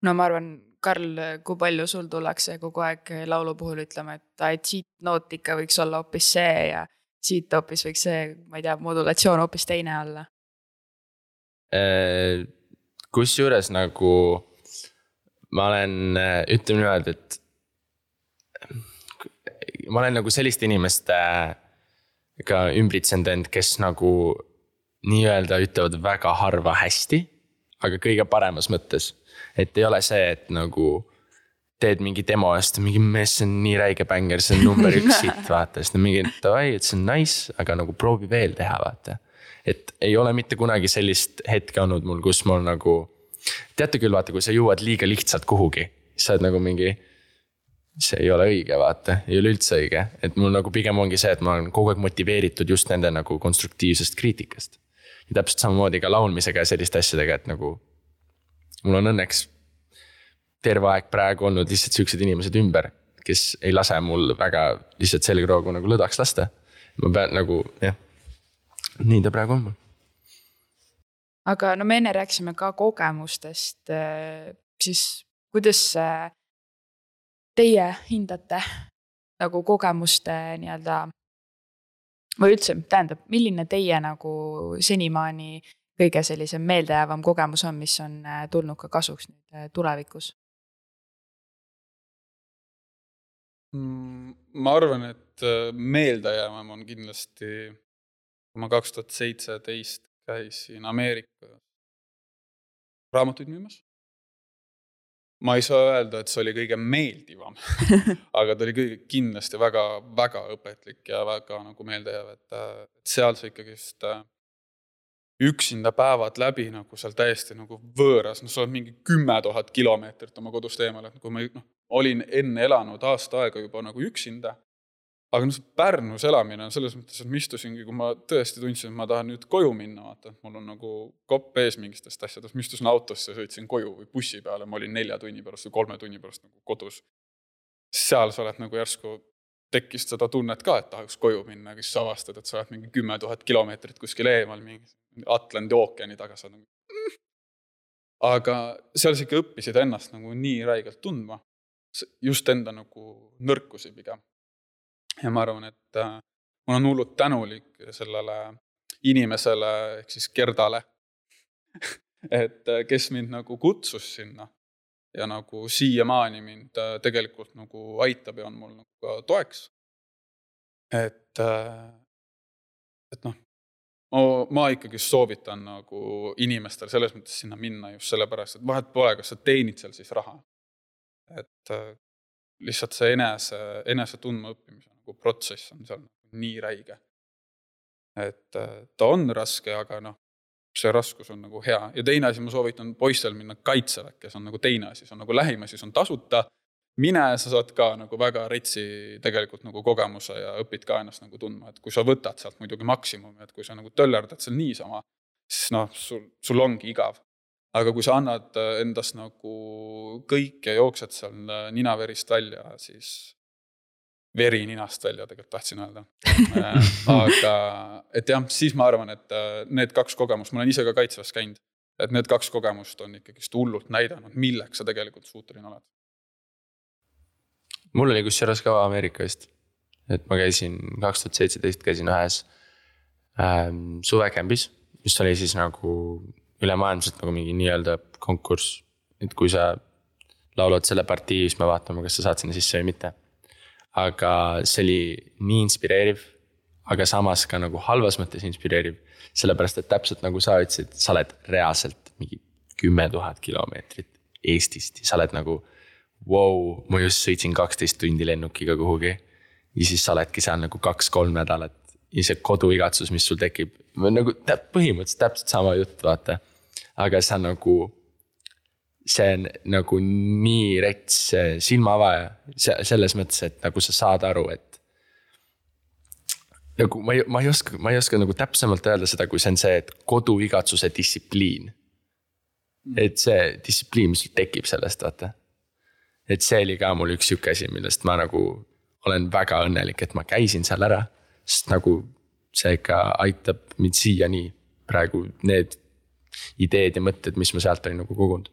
No ma arvan, Karl, kui palju sul tullakse kogu aeg laulu puhul ütlema, et siit noot ikka võiks olla hoopis see ja siit hoopis võiks see, ma ei tea, modulatsioon hoopis teine olla. Kus juures nagu ma olen, ütleme niimoodi, et ma olen nagu selliste inimeste ka ümbritsenud end, kes nagu nii-öelda ütlevad väga harva hästi, aga kõige paremas mõttes. Et ei ole see, et nagu teed mingi demo eest, mingi mees, see on nii räige bänger, see on number 1 hit, vaata. Siis mingi, et see on nice, aga nagu proovi veel teha, vaata. Et ei ole mitte kunagi sellist hetke olnud mul, kus mul nagu, teate küll, vaata, kui sa jõuad liiga lihtsalt kuhugi, sa oled nagu mingi, see ei ole õige, vaata, ei ole üldse õige. Et mul nagu pigem ongi see, et ma olen kogu aeg motiveeritud just nende nagu konstruktiivsest kriitikast. Ja täpselt samamoodi ka laulmisega ja selliste asjadega, et nagu mul on õnneks terve aeg praegu olnud lihtsalt sellised inimesed ümber, kes ei lase mul väga lihtsalt selgroogu nagu lõdaks lasta. Ma pean nagu, jah, nii ta praegu on mul. Aga me enne rääksime ka kogemustest, siis kuidas teie hindate nagu kogemuste nii-öelda, või üldse, tähendab, milline teie nagu senimaani kõige sellise meeldejäävam kogemus on, mis on tulnud ka kasuks nüüd tulevikus? Ma arvan, et meeldejäävam on kindlasti, kui ma 2017 käisin Ameerika raamatuid müümas. Ma ei saa öelda, et see oli kõige meeldivam, aga ta oli kõige kindlasti väga, väga õpetlik ja väga nagu meeldejääv, et seal see ikkagi just üksinda päevad läbi nagu seal täiesti nagu võõras, sa oled mingi 10 000 kilomeetrit oma kodust eemale, kui ma olin enne elanud aasta aega juba nagu üksinda, aga see Pärnus elamine on selles mõttes, et ma istusingi, kui ma tõesti tundsin, et ma tahan nüüd koju minna, vaata, mul on nagu kopp ees mingistest asjadest, ma istusin autosse ja sõitsin koju või bussi peale, ma olin 4 tunni pärast või 3 tunni pärast nagu kodus. Seal sa oled nagu järsku tekkis seda tunnet ka, et tahaks koju minna, kes sa avastad, et sa oled mingi 10 000 kilomeetrit kuskil eemal, mingi Atlandi ookeani taga sa nagu. Aga seal sa ikka õppisid ennast nagu nii räigelt tundma. just enda nagu nõrkusi pigem. Ja ma arvan, et ma olen hullult tänulik sellele inimesele ehk siis Gerdale, et kes mind nagu kutsus sinna ja nagu siiamaani mind tegelikult nagu aitab ja on mul nagu ka toeks. Et noh, ma ikkagi soovitan nagu inimestel selles mõttes sinna minna just sellepärast, et vahet pole, kas sa teenid seal siis raha. Et lihtsalt see enese tundma õppimise nagu protsess on seal nii räige. Et ta on raske, aga noh, see raskus on nagu hea. Ja teine asi, ma soovitan poistel minna kaitseväkke, see on nagu teine asi, see on nagu lähim asi, see on tasuta. Mine, sa saad ka nagu väga retsi tegelikult nagu kogemuse ja õpid ka ennast nagu tundma, et kui sa võtad sealt muidugi maksimumi, et kui sa nagu töllerdad seal niisama, siis noh, sul ongi igav. Aga kui sa annad endast nagu kõik ja jooksed seal ninaverist välja, siis veri ninast välja tegelikult tahtsin öelda. Aga et jah, siis ma arvan, et need 2 kogemust, ma olen ise ka kaitsvas käinud, et need 2 kogemust on ikkagi hullult näidanud, milleks sa tegelikult suuteline oled. Mul oli kusjuures ka Ameerikast, et ma käisin 2017 käisin ühes suvekämbis, mis oli siis nagu ülemaailmselt nagu mingi nii-öelda konkurss, et kui sa laulad selle partii, siis me vaatame, kas sa saad sinna sisse või mitte. Aga see oli nii inspireeriv, aga samas ka nagu halvas mõttes inspireeriv, sellepärast et täpselt nagu sa ütlesid, sa oled reaalselt mingi 10 000 kilomeetrit Eestist ja sa oled nagu wow, ma just sõitsin 12 tundi lennukiga kuhugi ja siis sa oledki seal nagu 2-3 nädalat ja see koduigatsus, mis sul tekib, nagu põhimõtteliselt täpselt sama jutt, vaata. Aga see on nagu, see on nagu nii rets silmaavaja selles mõttes, et nagu sa saad aru, et nagu ma ei oska nagu täpsemalt öelda seda, kui see on see, et koduigatsuse distsipliin. Et see distsipliin, mis sul tekib sellest, vaata. Et see oli ka mul üks siuke asi, millest ma nagu olen väga õnnelik, et ma käisin seal ära, sest nagu see ikka aitab mind siia nii praegu need ideed ja mõtted, mis ma sealt olin nagu kogunud.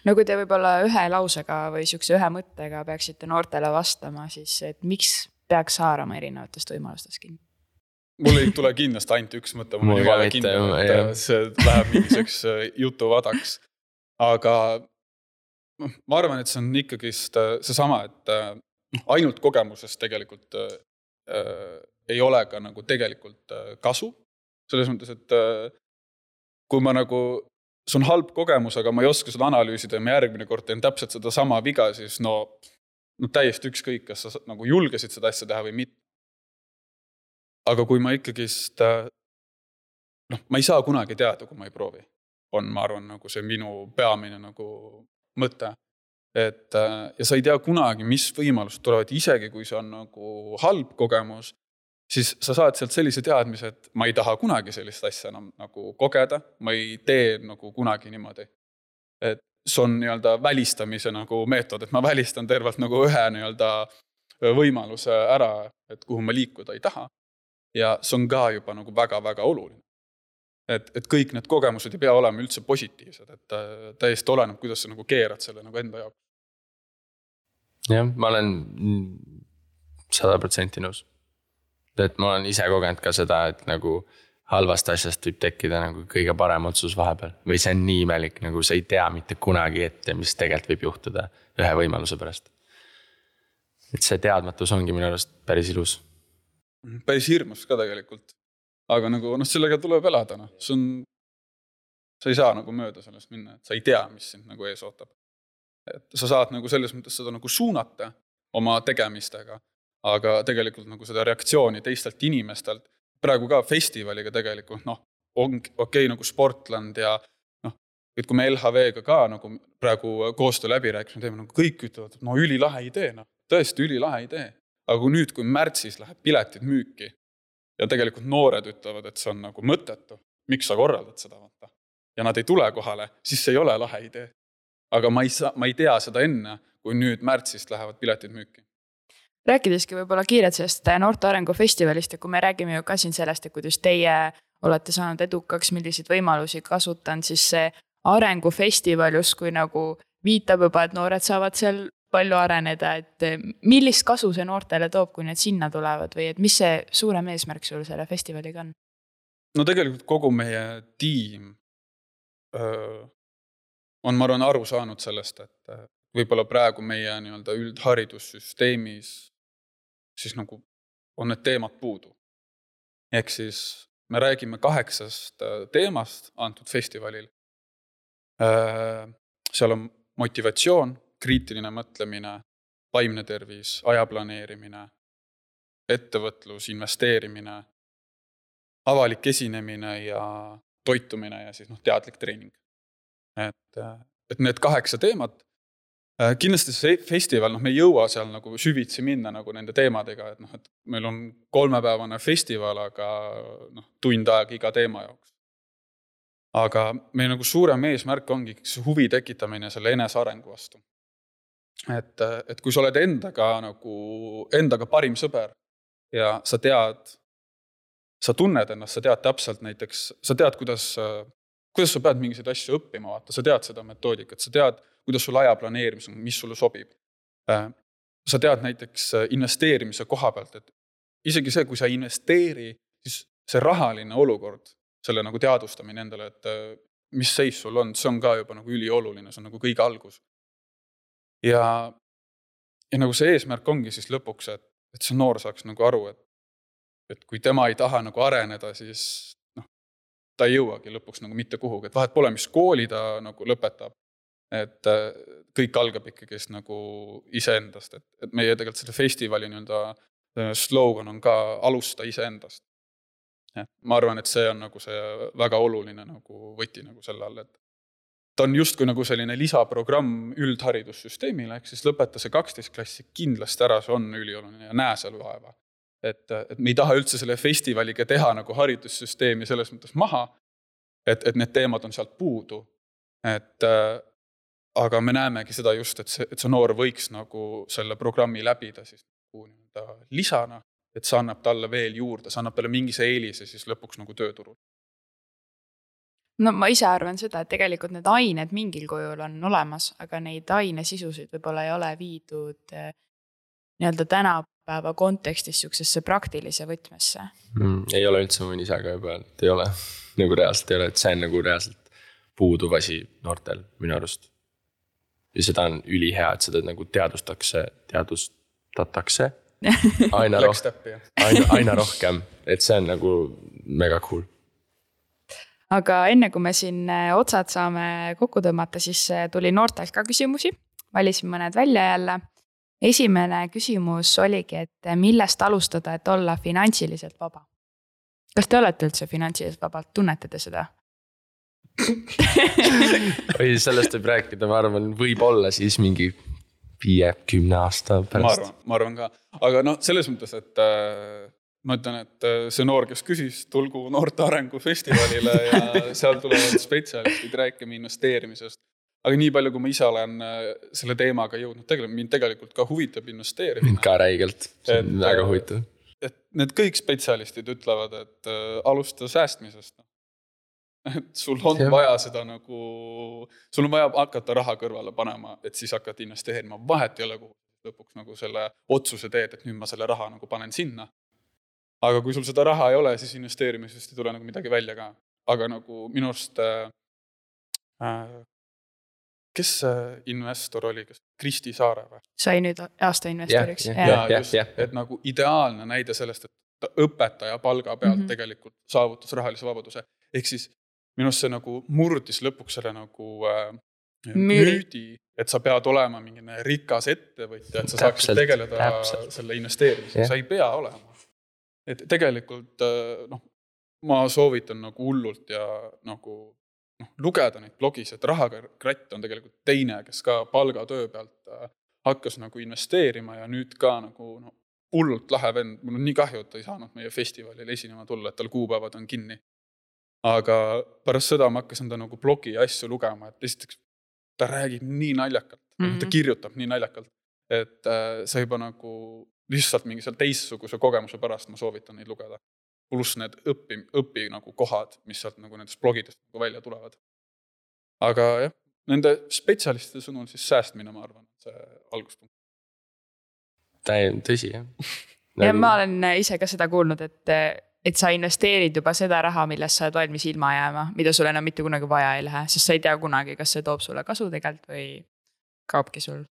No kui te võib-olla ühe lausega või siukse ühe mõttega peaksite noortele vastama, siis et miks peaks haarama erinevatest võimalustest kinni? Mul ei tule kindlasti ainult üks mõte, mul juba kinni, et see läheb mingiseks jutuvadaks. Aga ma arvan, et see on ikkagi seesama, et ainult kogemusest tegelikult ei ole ka nagu tegelikult kasu. Selles mõttes, et kui ma nagu, see on halb kogemus, aga ma ei oska seda analüüsida ja ma järgmine kord teen täpselt seda sama viga, siis no täiesti ükskõik, kas sa nagu julgesid seda asja teha või mitte. Aga kui ma ikkagist, ma ei saa kunagi teada, kui ma ei proovi. On, ma arvan, nagu see minu peamine nagu mõte. Et, ja sa ei tea kunagi, mis võimalused tulevad, isegi kui see on nagu halb kogemus, siis sa saad sealt sellise teadmise, et ma ei taha kunagi sellist asja enam nagu kogeda, ma ei tee nagu kunagi niimoodi. Et see on nii-öelda välistamise nagu meetod, et ma välistan tervelt nagu ühe nii-öelda võimaluse ära, et kuhu ma liikuda ei taha. Ja see on ka juba nagu väga-väga oluline. Et kõik need kogemused ei pea olema üldse positiivsed, et täiesti oleneb, kuidas sa nagu keerad selle nagu enda jaoks. Jah, ma olen 100% nõus. Et ma olen ise kogenud ka seda, et nagu halvast asjast võib tekkida nagu kõige parem otsus vahepeal. Või see on nii imelik, nagu sa ei tea mitte kunagi ette, mis tegelikult võib juhtuda ühe võimaluse pärast. Et see teadmatus ongi minu arust päris ilus. Päris hirmus ka tegelikult. Aga nagu, sellega tuleb elada. Sa ei saa nagu mööda sellest minna, et sa ei tea, mis sind nagu ees ootab. Et sa saad nagu selles mõttes seda nagu suunata oma tegemistega, aga tegelikult nagu seda reaktsiooni teistelt inimestelt, praegu ka festivaliga tegelikult, on okei nagu Sportland ja et kui me LHV-ga ka nagu praegu koostöö läbi rääkisime, teeme nagu kõik ütlevad, et ülilahe idee, tõesti ülilahe idee. Aga kui nüüd, kui märtsis läheb piletid müüki ja tegelikult noored ütlevad, et see on nagu mõttetu, miks sa korraldad seda vaata. Ja nad ei tule kohale, siis see ei ole lahe idee. Aga ma ei tea seda enne, kui nüüd märtsist lähevad piletid müüki. Rääkideski võib-olla kiiret sellest Noorte Arengu Festivalist ja kui me räägime ju ka siin sellest, et kuidas teie olete saanud edukaks, milliseid võimalusi kasutan, siis see arengufestival justkui nagu viitab juba, et noored saavad seal palju areneda, et millist kasu see noortele toob, kui need sinna tulevad või et mis see suurem eesmärk sul selle festivaliga on? No tegelikult kogu meie tiim on, ma arvan, aru saanud sellest, et võib-olla praegu meie nii-öelda üldharidussüsteemis siis nagu on need teemad puudu. Ehk siis me räägime 8 teemast antud festivalil. Seal on motivatsioon, kriitiline mõtlemine, vaimne tervis, aja planeerimine, ettevõtlus, investeerimine, avalik esinemine ja toitumine ja siis teadlik treening. Et need 8 teemat. Kindlasti see festival, me ei jõua seal nagu süvitsi minna nagu nende teemadega, et meil on 3-päevane festival, aga tund aega iga teema jaoks. Aga meil nagu suurem eesmärk ongi see huvi tekitamine selle enesearengu vastu. Et kui sa oled endaga parim sõber ja sa tunned ennast, sa tead täpselt näiteks, sa tead, kuidas sa pead mingisuguseid asju õppima, vaata, sa tead seda metoodikat, sa tead, kuidas sul aja planeerimis on, mis sulle sobib. Sa tead näiteks investeerimise koha pealt, et isegi see, kui sa investeeri, siis see rahaline olukord, selle nagu teadvustamine endale, et mis seis sul on, see on ka juba nagu ülioluline, see on nagu kõige algus. Ja nagu see eesmärk ongi siis lõpuks, et see noor saaks nagu aru, et kui tema ei taha nagu areneda, siis ta ei jõuagi lõpuks nagu mitte kuhugi, et vahet pole, mis kooli ta nagu lõpetab, et kõik algab ikkagi nagu iseendast, et meie tegelikult selle festivali slogan on ka alusta iseendast. Ma arvan, et see on nagu see väga oluline nagu võti nagu selle all, et ta on justkui nagu selline lisaprogramm üldharidussüsteemile, ehk siis lõpeta see 12 klassi kindlasti ära, see on ülioluline ja näe seal vaeva. Et me ei taha üldse selle festivaliga teha nagu haridussüsteemi selles mõttes maha, et need teemad on sealt puudu. Aga me näemegi seda just, et see noor võiks nagu selle programmi läbida siis lisana, et see annab talle veel juurde, see annab talle mingise eelise siis lõpuks nagu tööturul. No ma ise arvan seda, et tegelikult need ained mingil kujul on olemas, aga neid ainesisusid võib-olla ei ole viidud nii-öelda tänapäeva kontekstis siuksesse praktilise võtmesse. Ei ole üldse mõni ise ka juba, et ei ole. Nagu reaalselt ei ole, et see on nagu reaalselt puuduv asi noortel minu arust. Ja seda on ülihea, et seda nagu teadvustatakse aina rohkem, et see on nagu mega cool. Aga enne kui me siin otsad saame kokku tõmmata, siis tuli noortelt ka küsimusi. Valisin mõned välja jälle. Esimene küsimus oligi, et millest alustada, et olla finantsiliselt vaba? Kas te olete üldse finantsiliselt vabalt? Tunnete te seda? Või sellest võib rääkida, ma arvan, võib olla siis mingi 5-10 aasta pärast. Ma arvan ka. Aga selles mõttes, et ma ütlen, et see noor, kes küsis, tulgu noorte arengu festivalile ja seal tulevad spetsialistid rääkima investeerimisest. Aga nii palju, kui ma ise olen selle teemaga jõudnud, mind tegelikult ka huvitab investeerimine. Ka räigelt, see on väga huvitav. Et need kõik spetsialistid ütlevad, et alusta säästmisest. Et sul on vaja seda nagu, sul on vaja hakata raha kõrvale panema, et siis hakata investeerima. Vahet ei ole, kuhu lõpuks nagu selle otsuse teed, et nüüd ma selle raha nagu panen sinna. Aga kui sul seda raha ei ole, siis investeerimisest ei tule nagu midagi välja ka. Aga nagu minu arust, kes investor oli, Kristi Saare või? Sai nüüd aasta investoriks. Et nagu ideaalne näide sellest, et õpetaja palga pealt tegelikult saavutas rahalise vabaduse. Ehk siis minu arust see nagu murdis lõpuks selle nagu müüdi, et sa pead olema mingine rikas ettevõtja, et sa saaksid tegeleda selle investeerimisega. Sa ei pea olema. Et tegelikult ma soovitan nagu hullult ja nagu lugeda neid blogis, et Rahakratt on tegelikult teine, kes ka palgatöö pealt hakkas nagu investeerima ja nüüd ka nagu hullult lahe vend. Mul on nii kahju, et ta ei saanud meie festivalil esinema tulla, et tal kuupäevad on kinni. Aga pärast seda ma hakkasin ta nagu blogi asju lugema, et esiteks ta räägib nii naljakalt, ta kirjutab nii naljakalt, et see juba nagu lihtsalt mingi seal teistsuguse kogemuse pärast ma soovitan neid lugeda. Pluss need õpi nagu kohad, mis sealt nagu nendest blogidest nagu välja tulevad. Aga jah, nende spetsialistide sõnul siis säästmine, ma arvan, see alguspunkt. Tõsi, jah. Ja ma olen ise ka seda kuulnud, et sa investeerid juba seda raha, millest sa oled valmis ilma jääma, mida sul enam mitte kunagi vaja ei lähe, sest sa ei tea kunagi, kas see toob sulle kasu tegelikult või kaobki sul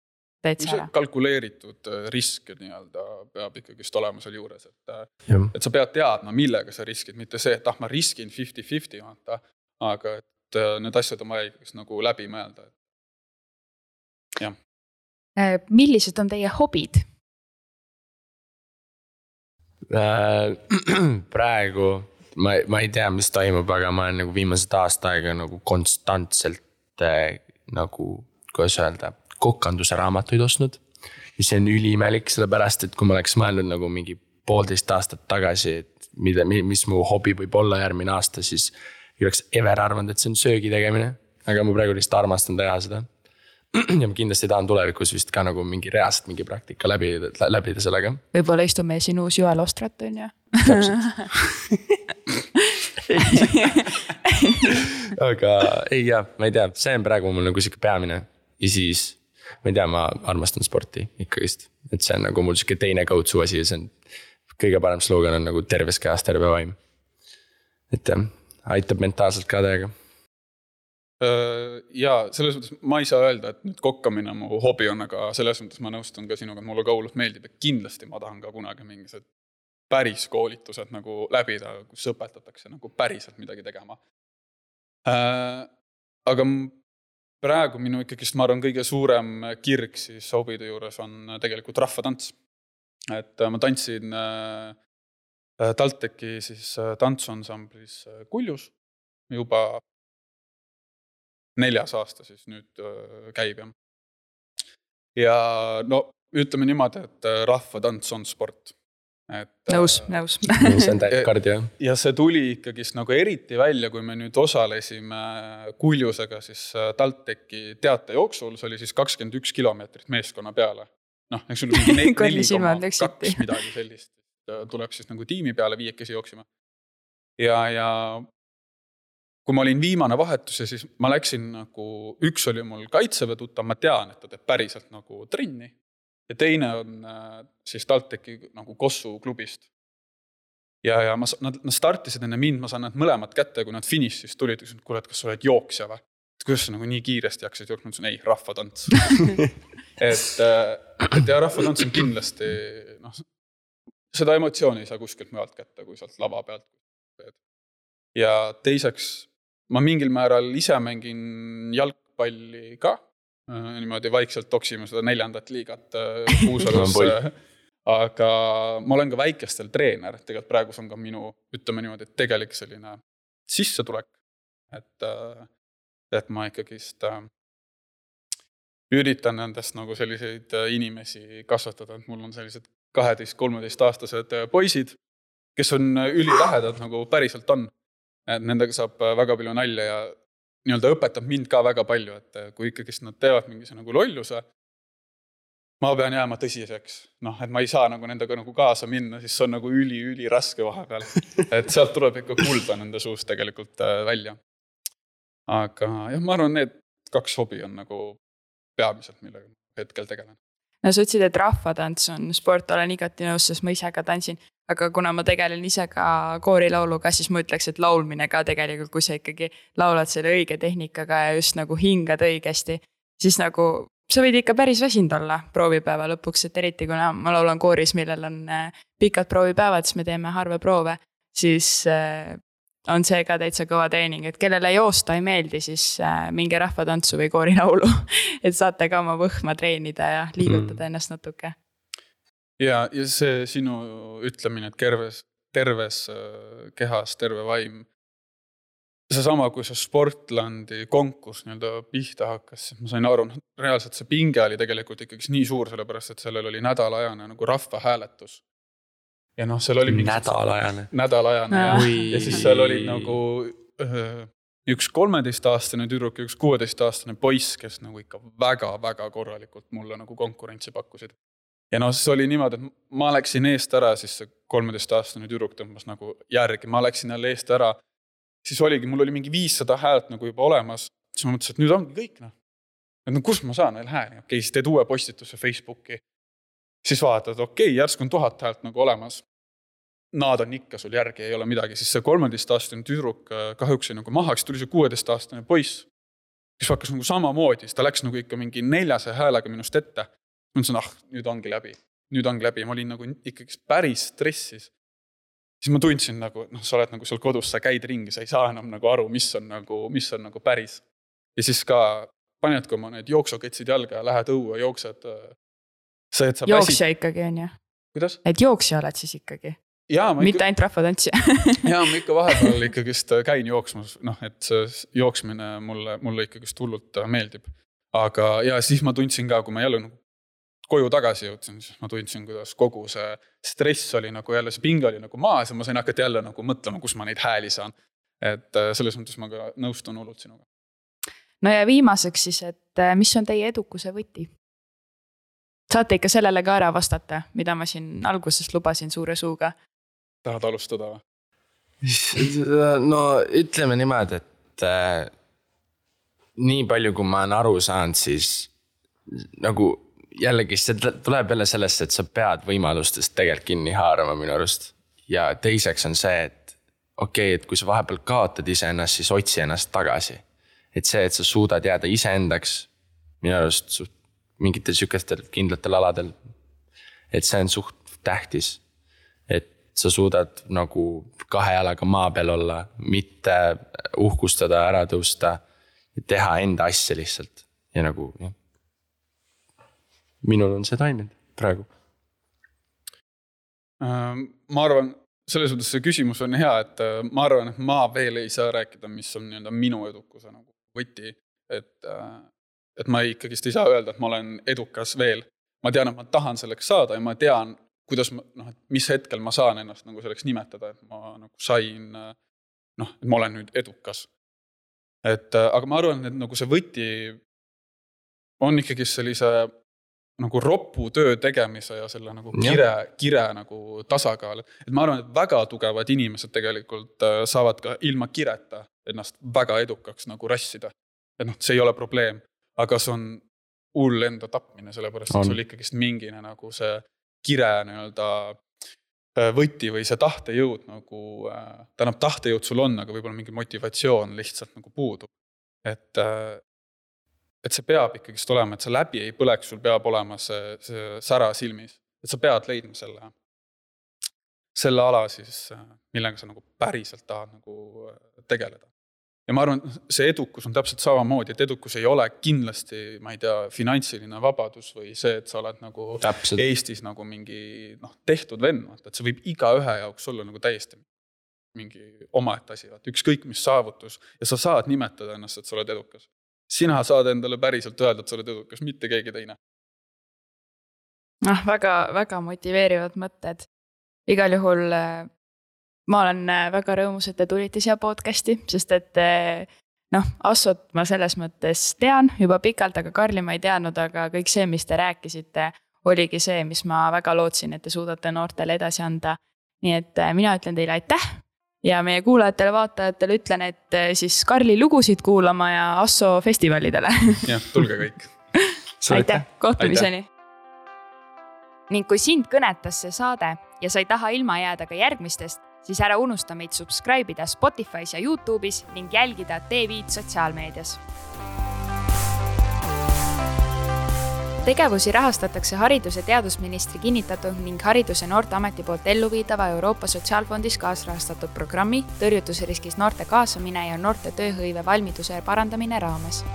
täitsa ära. Kalkuleeritud risk nii-öelda peab ikkagist olema seal juures, et sa pead teadma, millega sa riskid, mitte see, et ma riskin 50-50, aga et need asjad on vaja ikkagist nagu läbi mõelda. Jah. Millised on teie hobid? Praegu ma ei tea, mis toimub, aga ma olen nagu viimased aasta aega nagu konstantselt nagu, kuidas öelda, kokanduse raamatuid ostnud. Ja see on üliimelik, sellepärast, et kui ma oleks mõelnud nagu mingi 1,5 aastat tagasi, et mis mu hobi võib olla järgmine aasta, siis ei oleks ever arvanud, et see on söögi tegemine. Aga ma praegu lihtsalt armastan teha seda. Ja ma kindlasti tahan tulevikus vist ka nagu mingi reaalselt mingi praktika läbida sellega. Võib-olla istume siin uus Joel Ostrat, on ju? Aga ei jah, ma ei tea, see on praegu mul nagu siuke peamine. Ja siis, ma ei tea, ma armastan sporti ikkagist. Et see on nagu mul siuke teine go-to asi ja see on kõige parem slogan on nagu terves kehas terve vaim. Et jah, aitab mentaalselt ka täiega. Ja selles mõttes ma ei saa öelda, et nüüd kokkamine mu hobi on, aga selles mõttes ma nõustun ka sinuga, et mulle ka hullult meeldib, et kindlasti ma tahan ka kunagi mingised päris koolitused nagu läbida, kus õpetatakse nagu päriselt midagi tegema. Aga praegu minu ikkagist, ma arvan, kõige suurem kirg siis hobide juures on tegelikult rahvatants. Et ma tantsin TalTechi siis tantsuansamblis Kuljus juba 4. aasta siis nüüd käib. Ja no ütleme niimoodi, et rahvatants on sport. Nõus. See on täielt kardio. Ja see tuli ikkagist nagu eriti välja, kui me nüüd osalesime Kuljusega siis TalTechi teatejooksul, see oli siis 21 kilomeetrit meeskonna peale. Noh, eks sul mingi 4,2 midagi sellist. Tuleb siis nagu tiimi peale 5 jooksima. Ja kui ma olin viimane vahetus ja siis ma läksin nagu, üks oli mul kaitseväe tuttav, ma tean, et ta teeb päriselt nagu trenni. Ja teine on siis TalTechi nagu Kossu klubist. Ja nad startisid enne mind, ma saan nad mõlemad kätte, kui nad finišis tulid, kuule, et kas sa oled jooksja või? Kuidas sa nagu nii kiiresti jaksid jooksma? Ei, rahvatants. et ja rahvatants on kindlasti, seda emotsiooni ei saa kuskilt mujalt kätte, kui sealt lava pealt. Ja teiseks, ma mingil määral ise mängin jalgpalli ka, niimoodi vaikselt toksime seda 4. liigat Kuusalus, aga ma olen ka väikestel treener, tegelikult praegu on ka minu, ütleme niimoodi, et tegelik selline sissetulek, et ma ikkagist üritan nendest nagu selliseid inimesi kasvatada, et mul on sellised 12-13 aastased poisid, kes on ülilähedad nagu päriselt on. Et nendega saab väga palju nalja ja nii-öelda õpetab mind ka väga palju, et kui ikkagist nad teevad mingise nagu lolluse, ma pean jääma tõsiseks. Et ma ei saa nagu nendega nagu kaasa minna, siis see on nagu üli raske vahepeal. Et sealt tuleb ikka kulda nende suust tegelikult välja. Aga jah, ma arvan, need 2 hobi on nagu peamiselt, millega hetkel tegelen. No sa ütlesid, et rahvatants on sport, olen igati nõus, sest ma ise ka tantsin. Aga kuna ma tegelen ise ka koorilauluga, siis ma ütleks, et laulmine ka tegelikult, kui sa ikkagi laulad selle õige tehnikaga ja just nagu hingad õigesti, siis nagu sa võid ikka päris väsinud olla proovipäeva lõpuks, et eriti kuna ma laulan kooris, millel on pikad proovipäevad, siis me teeme harva proove, siis on see ka täitsa kõva treening, et kellele joosta ei meeldi, siis minge rahvatantsu või koorilaulu, et saate ka oma võhma treenida ja liigutada ennast natuke. Ja see sinu ütlemine, et terves kehas, terve vaim, see sama, kui see Sportlandi konkurss nii-öelda pihta hakkas, ma sain aru, reaalselt see pinge oli tegelikult ikkagi nii suur, sellepärast, et sellel oli nädalajane nagu rahvahääletus. Ja seal oli nädalajane ja siis seal oli nagu üks 13-aastane tüdruk ja üks 16-aastane poiss, kes nagu ikka väga korralikult mulle nagu konkurentsi pakkusid. Ja see oli niimoodi, et ma läksin eest ära, siis see 13-aastane tüdruk tõmbas nagu järgi, ma läksin jälle eest ära, siis oligi, mul oli mingi 500 häält nagu juba olemas, siis ma mõtlesin, et nüüd ongi kõik, et no kus ma saan veel hääli, okei, siis teed uue postituse Facebooki, siis vaatad, okei, järsku on 1000 häält nagu olemas. Nad on ikka sul järgi, ei ole midagi, siis see 13-aastane tüdruk kahjuks oli nagu maha, siis tuli see 16-aastane poiss, kes hakkas nagu samamoodi, siis ta läks nagu ikka mingi 400 häälega minust ette. Ma mõtlesin, nüüd ongi läbi. Ma olin nagu ikkagi päris stressis. Siis ma tundsin nagu, sa oled nagu seal kodus, sa käid ringi, sa ei saa enam nagu aru, mis on nagu päris. Ja siis ka panedki oma need jooksuketsid jalga ja lähed õue, jooksed. Jooksja ikkagi on ju? Kuidas? Et jooksja oled siis ikkagi? Mitte ainult rahvatantsija. Jaa, ma ikka vahepeal ikkagist käin jooksmas, et see jooksmine mulle ikkagist hullult meeldib. Aga ja siis ma tundsin ka, kui ma jälle koju tagasi jõudsin, siis ma tundsin, kuidas kogu see stress oli nagu jälle, see pinge oli nagu maas ja ma sain hakata jälle nagu mõtlema, kus ma neid hääli saan. Et selles mõttes ma ka nõustun hullult sinuga. No ja viimaseks siis, et mis on teie edukuse võti? Saate ikka sellele ka ära vastata, mida ma siin alguses lubasin suure suuga. Tahad alustada või? No ütleme niimoodi, et nii palju, kui ma olen aru saanud, siis nagu jällegi see tuleb jälle sellest, et sa pead võimalustest tegelikult kinni haarama minu arust. Ja teiseks on see, et okei, et kui sa vahepeal kaotad iseennast, siis otsi ennast tagasi. Et see, et sa suudad jääda iseendaks minu arust mingitel sükestel kindlatel aladel, et see on suht tähtis. Et sa suudad nagu 2 jalaga maa peal olla, mitte uhkustada, ära tõusta ja teha enda asja lihtsalt. Ja nagu, jah. Minul on see toiminud praegu. Ma arvan, selles mõttes see küsimus on hea, et ma arvan, et ma veel ei saa rääkida, mis on minu edukuse nagu võti. Et ma ikkagist ei saa öelda, et ma olen edukas veel. Ma tean, et ma tahan selleks saada ja ma tean, kuidas mis hetkel ma saan ennast nagu selleks nimetada, et ma nagu sain, et ma olen nüüd edukas. Aga ma arvan, et nagu see võti on ikkagi sellise nagu roppu töö tegemise ja selle nagu kire nagu tasakaal. Et ma arvan, et väga tugevad inimesed tegelikult saavad ka ilma kireta ennast väga edukaks nagu rassida. Et see ei ole probleem, aga see on hull enda tapmine, sellepärast, et sul ikkagist mingine nagu see kire võti või see tahtejõud nagu, tähendab tahtejõud sul on, aga võib-olla mingi motivatsioon lihtsalt nagu puudub. Et see peab ikkagist olema, et see läbi ei põleks, sul peab olema see sära silmis. Et sa pead leidma selle ala siis, millega sa nagu päriselt tahad nagu tegeleda. Ja ma arvan, see edukus on täpselt samamoodi, et edukus ei ole kindlasti, ma ei tea, finantsiline vabadus või see, et sa oled nagu täpselt Eestis nagu mingi tehtud vennad, et see võib iga ühe jaoks olla nagu täiesti mingi omaette asi, ükskõik mis saavutus ja sa saad nimetada ennast, et sa oled edukas. Sina saad endale päriselt öelda, et sa oled edukas, mitte keegi teine. Väga, väga motiveerivad mõtted. Igal juhul ma olen väga rõõmus, et te tulite siia podcasti, sest et Assot ma selles mõttes tean juba pikalt, aga Karli ma ei teadnud, aga kõik see, mis te rääkisite, oligi see, mis ma väga lootsin, et te suudate noortele edasi anda. Nii et mina ütlen teile aitäh ja meie kuulajatele, vaatajatele ütlen, et siis Karli lugusid kuulama ja Asso festivalidele. Jah, tulge kõik. Aitäh, kohtumiseni. Ning kui sind kõnetas see saade ja sa ei taha ilma jääda ka järgmistest, siis ära unusta meid subscribe'ida Spotify's ja YouTube'is ning jälgida TV-d sotsiaalmeedias. Tegevusi rahastatakse Haridus- ja teadusministri kinnitatud ning Haridus- ja Noorteameti poolt elluviidava Euroopa Sotsiaalfondis kaasrahastatud programmi tõrjutusriskis noorte kaasamine ja noorte tööhõive valmiduse parandamine raames.